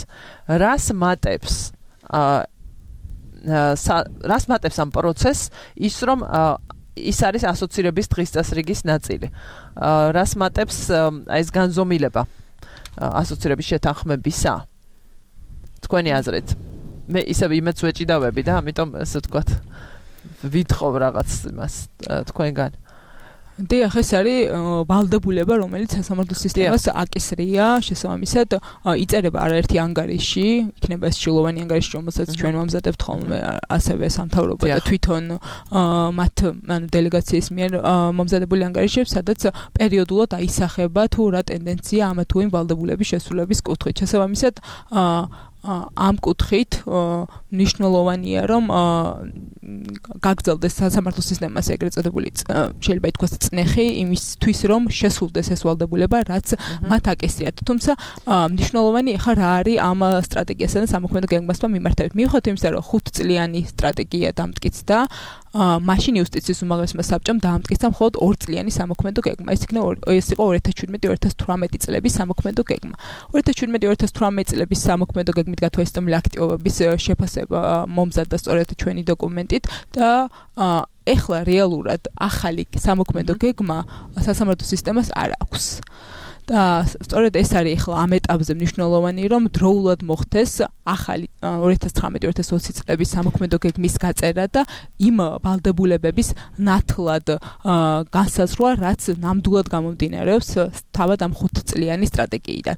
რას მატებს რას მატებს ამ პროცესს ის, რომ ის არის ასოცირების დღის წესრიგის ნაწილი. რას მატებს ეს განზომილება ასოცირების შეთანხმებისა? თქვენი აზრით. მე ისევ იმედს ვეჭიდავები და ამიტომ ესე ვთქვათ ვითხოვ რაღაც იმას თქვენგან. დიახ, ეს არის ვალდებულება, რომელიც სასამართლო სისტემას აკისრია, შესაბამისად იწერება არაერთი ანგარიში, იქნება ეს ჩილოვანი ანგარიში, რომელსაც ჩვენ ვამზადებთ ხოლმე, ასევე სამთავრობო და თვითონ მათ ანუ დელეგაციის მიერ მომზადებული ანგარიშები, სადაც პერიოდულად აისახება თუ რა ტენდენცია ამა თუ იმ ვალდებულების შესრულების კუთხით. შესაბამისად ამ კუთხით მნიშვნელოვანია, რომ გაგრძელდეს სასამართლო სისტემას ეგრეთ წოდებული შეიძლება ითქვას წნეხი იმისთვის, რომ შესრულდეს ეს ვალდებულება, რაც მათ აკისრიათ. თუმცა მნიშვნელოვანი ახლა რა არის ამ სტრატეგიასა და სამოქმედო გეგმასთან მიმართებით. მიუხედავად იმისა, რომ ხუთწლიანი სტრატეგია დამტკიცდა, მაშინ იუსტიციის უმაღლესმა საბჭომ დაამტკიცა მხოლოდ ორწლიანი სამოქმედო გეგმა. ეს იქნება ეს იყო ორი ათას შვიდმეტი ორი ათას თვრამეტი წლების სამოქმედო გეგმა. ორი ათას შვიდმეტი ორი ათას თვრამეტი წლების სამოქმედო გეგმით გათვალისწინებული აქტივობების შეფასება მომზადდა სწორედ ჩვენი დოკუმენტით და ეხლა რეალურად ახალი სამოქმედო გეგმა სასამართლო სისტემას არ აქვს. და სწორედ ეს არის ახლა ამ ეტაპზე მნიშვნელოვანი, რომ დროულად მოხდეს ახალი ორი ათას ცხრამეტი ორი ათას ოცი წლების სამოქმედო გეგმის გაწერა და იმ ვალდებულებების ნათლად განსაზღვრა, რაც ნამდვილად გამომდინარეობს თავად ამ ხუთწლიანი სტრატეგიიდან.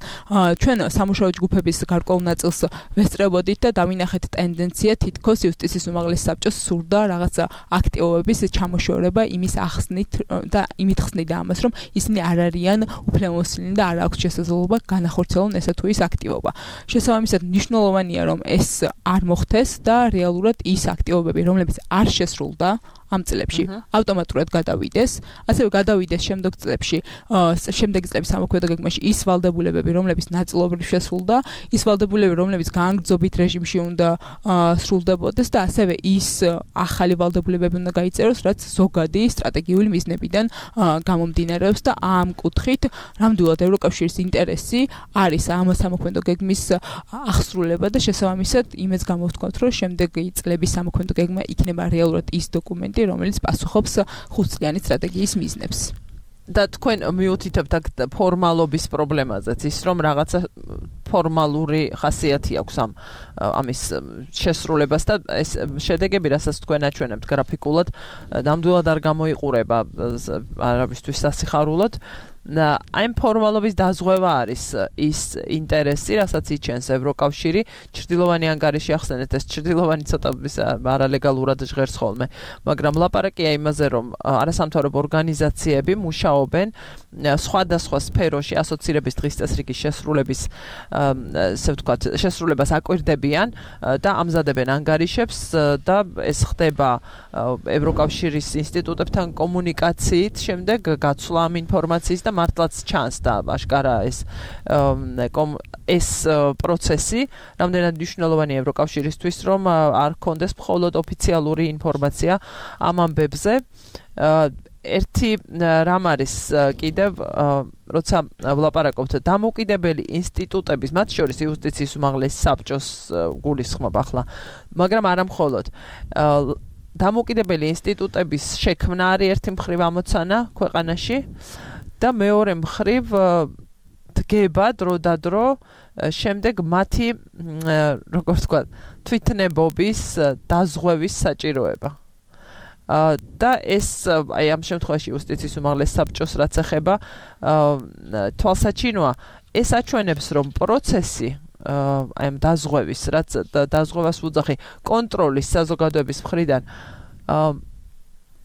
ჩვენ სამუშაო ჯგუფების გარკვეულ ნაწილს ვესწრებოდით და დავინახეთ ტენდენცია, თითქოს იუსტიციის უმაღლესი საბჭოს სურდა რაღაცა აქტივობების ჩამოშორება იმის ახსნით და იმით ხსნიდა ამას, რომ ისინი არ არიან უფლებამოსილნი და არ აქვს შესაძლებლობა განახორციელონ ესა თუ ის აქტივობა. შესაბამისად, მნიშვნელოვანია, რომ ეს არ მოხდეს და რეალურად ის აქტივობები, რომლებიც არ შესრულდა ამ წლებში ავტომატურად გადავიდეს, ასევე გადავიდეს შემდგომ წლებში, შემდეგი წლების სამოქმედო გეგმაში ის ვალდებულებები, რომლებიც ნაწილობრივ შესრულდა, ის ვალდებულებები, რომლებიც გაანგრძობით რეჟიმში უნდა სრულდებოდეს და ასევე ის ახალი ვალდებულებები უნდა გაიწეროს, რაც ზოგადი სტრატეგიული მიზნებიდან გამომდინარეობს და ამ კუთხით ნამდვილად ევროკავშირის ინტერესი არის ამ სამოქმედო გეგმის აღსრულება და შესაბამისად იმეც გამოვთქვათ, რომ შემდეგი წლების სამოქმედო გეგმა იქნება რეალურად ის დოკუმენტი, რომელიც პასუხობს ხუთწლიანი სტრატეგიის მიზნებს. და თქვენ მიუთითებთ აქ ფორმალობის პრობლემაზეც, ის რომ რაღაცა ფორმალური ხასიათი აქვს ამ ამის შესრულებას და ეს შედეგები, რასაც თქვენ აჩვენებთ გრაფიკულად, ნამდვილად არ გამოიყურება არავისთვის სასიხარულოდ. და აი ფორმალობის დაზღვევა არის ის ინტერესი, რასაც იჩენს ევროკავშირი. ჩრდილოვანი ანგარიში ახსენეთ, ეს ჩრდილოვანი ცოტა არალეგალურად ჟღერს ხოლმე, მაგრამ ლაპარაკია იმაზე, რომ არასამთავრობო ორგანიზაციები მუშაობენ სხვადასხვა სფეროში ასოცირების დღის წესრიგის შესრულების ესე ვთქვათ, შესრულებას აკვირდებიან და ამზადებენ ანგარიშებს და ეს ხდება ევროკავშირის ინსტიტუტებთან კომუნიკაციით, შემდეგ გაცვლა ამ ინფორმაციის და მართლაც ჩანს და აშკარა ეს ეს პროცესი რამდენად მნიშვნელოვანია ევროკავშირისთვის, რომ არ ქონდეს მხოლოდ ოფიციალური ინფორმაცია ამ ამბებზე. ერთი რამ არის კიდევ, როცა ვლაპარაკობთ დამოუკიდებელი ინსტიტუტების, მათ შორის იუსტიციის უმაღლესი საბჭოს გულისხმობ ახლა, მაგრამ არა მხოლოდ დამოუკიდებელი ინსტიტუტების შექმნა არის ერთი მხრივ ამოცანა ქვეყანაში და მეორე მხრივ დგება დრო და დრო შემდეგ მათი როგორ ვთქვა თვითნებობის დაზღვევის საჭიროება. და ეს აი ამ შემთხვევაში იუსტიციის უმაღლეს საბჭოს რაც ეხება თვალსაჩინოა, ეს აჩვენებს, რომ პროცესი აი ამ დაზღვევის, რაც დაზღვევას უძახი კონტროლის საზოგადოების მხრიდან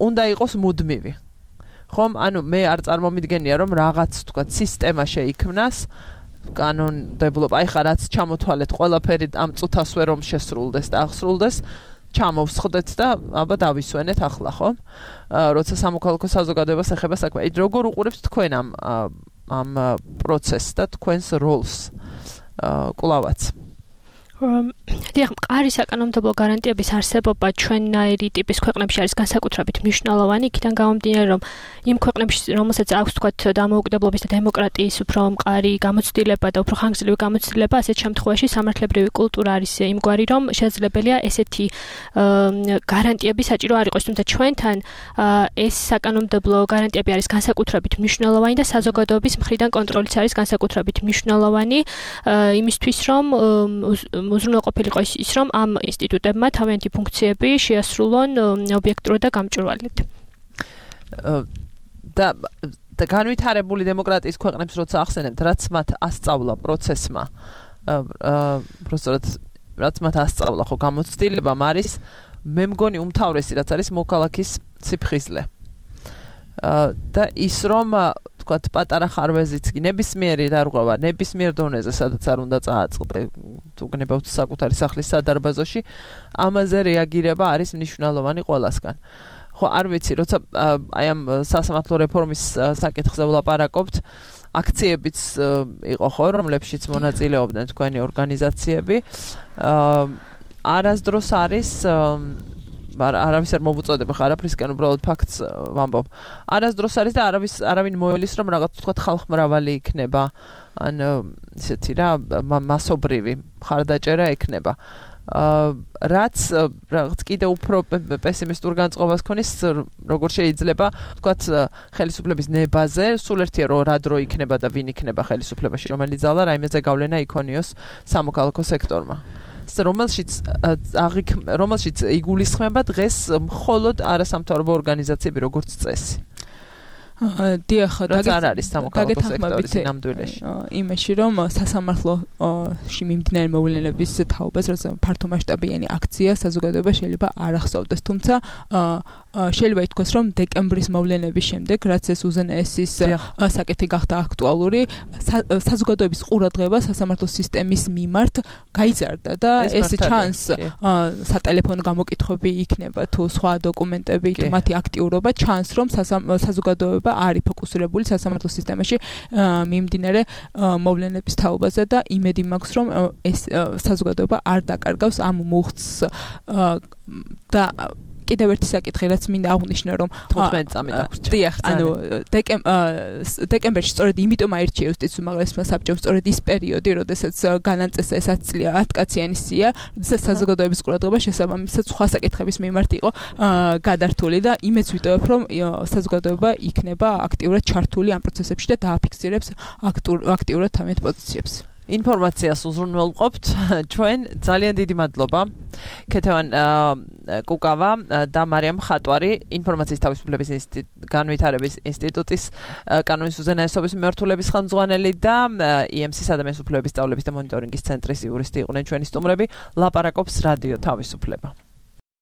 უნდა იყოს მუდმივი. ხომ, ანუ მე არ წარმომიდგენია, რომ რაღაც თქვა სისტემა შეიქმნას, კანონმდებლობა, აი ხა რაც ჩამოთვალეთ ყველაფერი ამ წუთასვე რომ შესრულდეს და აღსრულდეს, ჩამოვსხდეთ და აბა დავისვენეთ ახლა, ხო? როცა სამოქალაქო საზოგადოებას ეხება საქმე. აი როგორ უყურებთ თქვენ ამ ამ პროცესს და თქვენს როლს კლავაც? დიახ, მყარი საკანონმდებლო გარანტიების არსებობა ჩვენნაირი ტიპის ქვეყნებში არის განსაკუთრებით მნიშვნელოვანი, იქიდან გამომდინარე, რომ იმ ქვეყნებში, რომელსაც აქვს თქვათ დამოუკიდებლობის და დემოკრატიის უფრო მყარი გამოცდილება და უფრო ხანგრძლივი გამოცდილება, ასეთ შემთხვევაში სამართლებრივი კულტურა არის იმგვარი, რომ შესაძლებელია ესეთი გარანტიები საჭირო არ იყოს, თუმცა ჩვენთან ეს საკანონმდებლო გარანტიები არის განსაკუთრებით მნიშვნელოვანი და საზოგადოების მხრიდან კონტროლიც არის განსაკუთრებით მნიშვნელოვანი იმისთვის, რომ უზრუნველყოფილიყო ის, რომ ამ ინსტიტუტებმა თავიანთი ფუნქციები შეასრულონ ობიექტურად და გამჭვირვალედ. და და განვითარებული დემოკრატიის ქვეყნებს როცა ახსენებთ, რაც მათ ასწავლა პროცესმა, პროცესად რაც მათ ასწავლა ხო გამოცდილებამ არის, მე მგონი უმთავრესი რაც არის მოქალაქის სიფხიზლე. და ის რომ თქვათ პატარა ხარვეზიც კი ნებისმიერი დარღვევა ნებისმიერ დონეზე სადაც არ უნდა წააწყდე თუ გნებავთ საკუთარი სახლის სადარბაზოში, ამაზე რეაგირება არის მნიშვნელოვანი ყველასგან. ხო, არ ვიცი, როცა აი ამ სასამართლო რეფორმის საკითხზე ვლაპარაკობთ, აქციებიც იყო ხო, რომლებშიც მონაწილეობდნენ თქვენი ორგანიზაციები. არასდროს არის არავის არ მოვუწოდებ, ხა არაფრისკენ უბრალოდ ფაქტს ვამბობ. არასდროს არის და არავის არავინ მოელის, რომ რაღაც თქვა ხალხმრავალი იქნება, ან ისეთი რა მასობრივი მხარდაჭერა ექნება. რაც რაღაც კიდე უფრო პესიმისტურ განწყობას ქონის როგორ შეიძლება თქვათ ხელისუფლების ნებაზე სულ ერთია რომ რა დრო იქნება და ვინ იქნება ხელისუფლებაში რომელიც ძალა რაიმეზე გავლენა იქონიოს სამოქალაქო სექტორმა რომელშიც რომელშიც იგულისხმება დღეს მხოლოდ არასამთავრობო ორგანიზაციები როგორც წესი დიახ, არ არის სამოქალაქო სექტორის ნამდვილეში. იმაში რომ სასამართლოში მიმდინარე მოვლენების თაობას, რაც ფართო მასშტაბიანი აქცია საზოგადოება შეიძლება არ ახსოვდეს, თუმცა შეიძლება ითქვას, რომ დეკემბრის მოვლენების შემდეგ, რაც ეს უზენაესის საკითხი გახდა აქტუალური, საზოგადოების ყურადღება სასამართლო სისტემის მიმართ გაიზარდა და ეს ჩანს სატელეფონო გამოკითხვები იქნება თუ სხვა დოკუმენტები, თუ მათი აქტიურობა ჩანს, რომ საზოგადოება არის ფოკუსირებული სასამართლო სისტემაში მიმდინარე მოვლენების თაობაზე და იმედი მაქვს რომ ეს საზოგადოება არ დაკარგავს ამ მუხტს და კიდევ ერთი საკითხი რაც მინდა აღვნიშნო რომ თხუთმეტი წამი დაგვრჩა. დიახ, ანუ დეკემბერში სწორედ იმიტომ აირჩია იუსტიციის უმაღლესმა საბჭომ სწორედ ის პერიოდი, როდესაც განაწესა ეს ათი წლიანი ათკაციანი სია, როდესაც საზოგადოების ყურადღება შესაბამისად სხვა საკითხების მიმართ იყო გადართული და იმეც ვიტოვებ, რომ საზოგადოება იქნება აქტიურად ჩართული ამ პროცესებში და დააფიქსირებს აქტიურად თავიანთ პოზიციებს. ინფორმაციას უზრუნველყოფთ ჩვენ ძალიან დიდი მადლობა ქეთევან კუკავა და მარიამ ხატვარი ინფორმაციის თავისუფლების განვითარების ინსტიტუტის კანონის უზენაესობის მიმართულების ხელმძღვანელი და ი ემ სი ადამიანის უფლებების სწავლების და მონიტორინგის ცენტრის იურისტი იყვნენ ჩვენი სტუმრები. ლაპარაკობს რადიო თავისუფლება.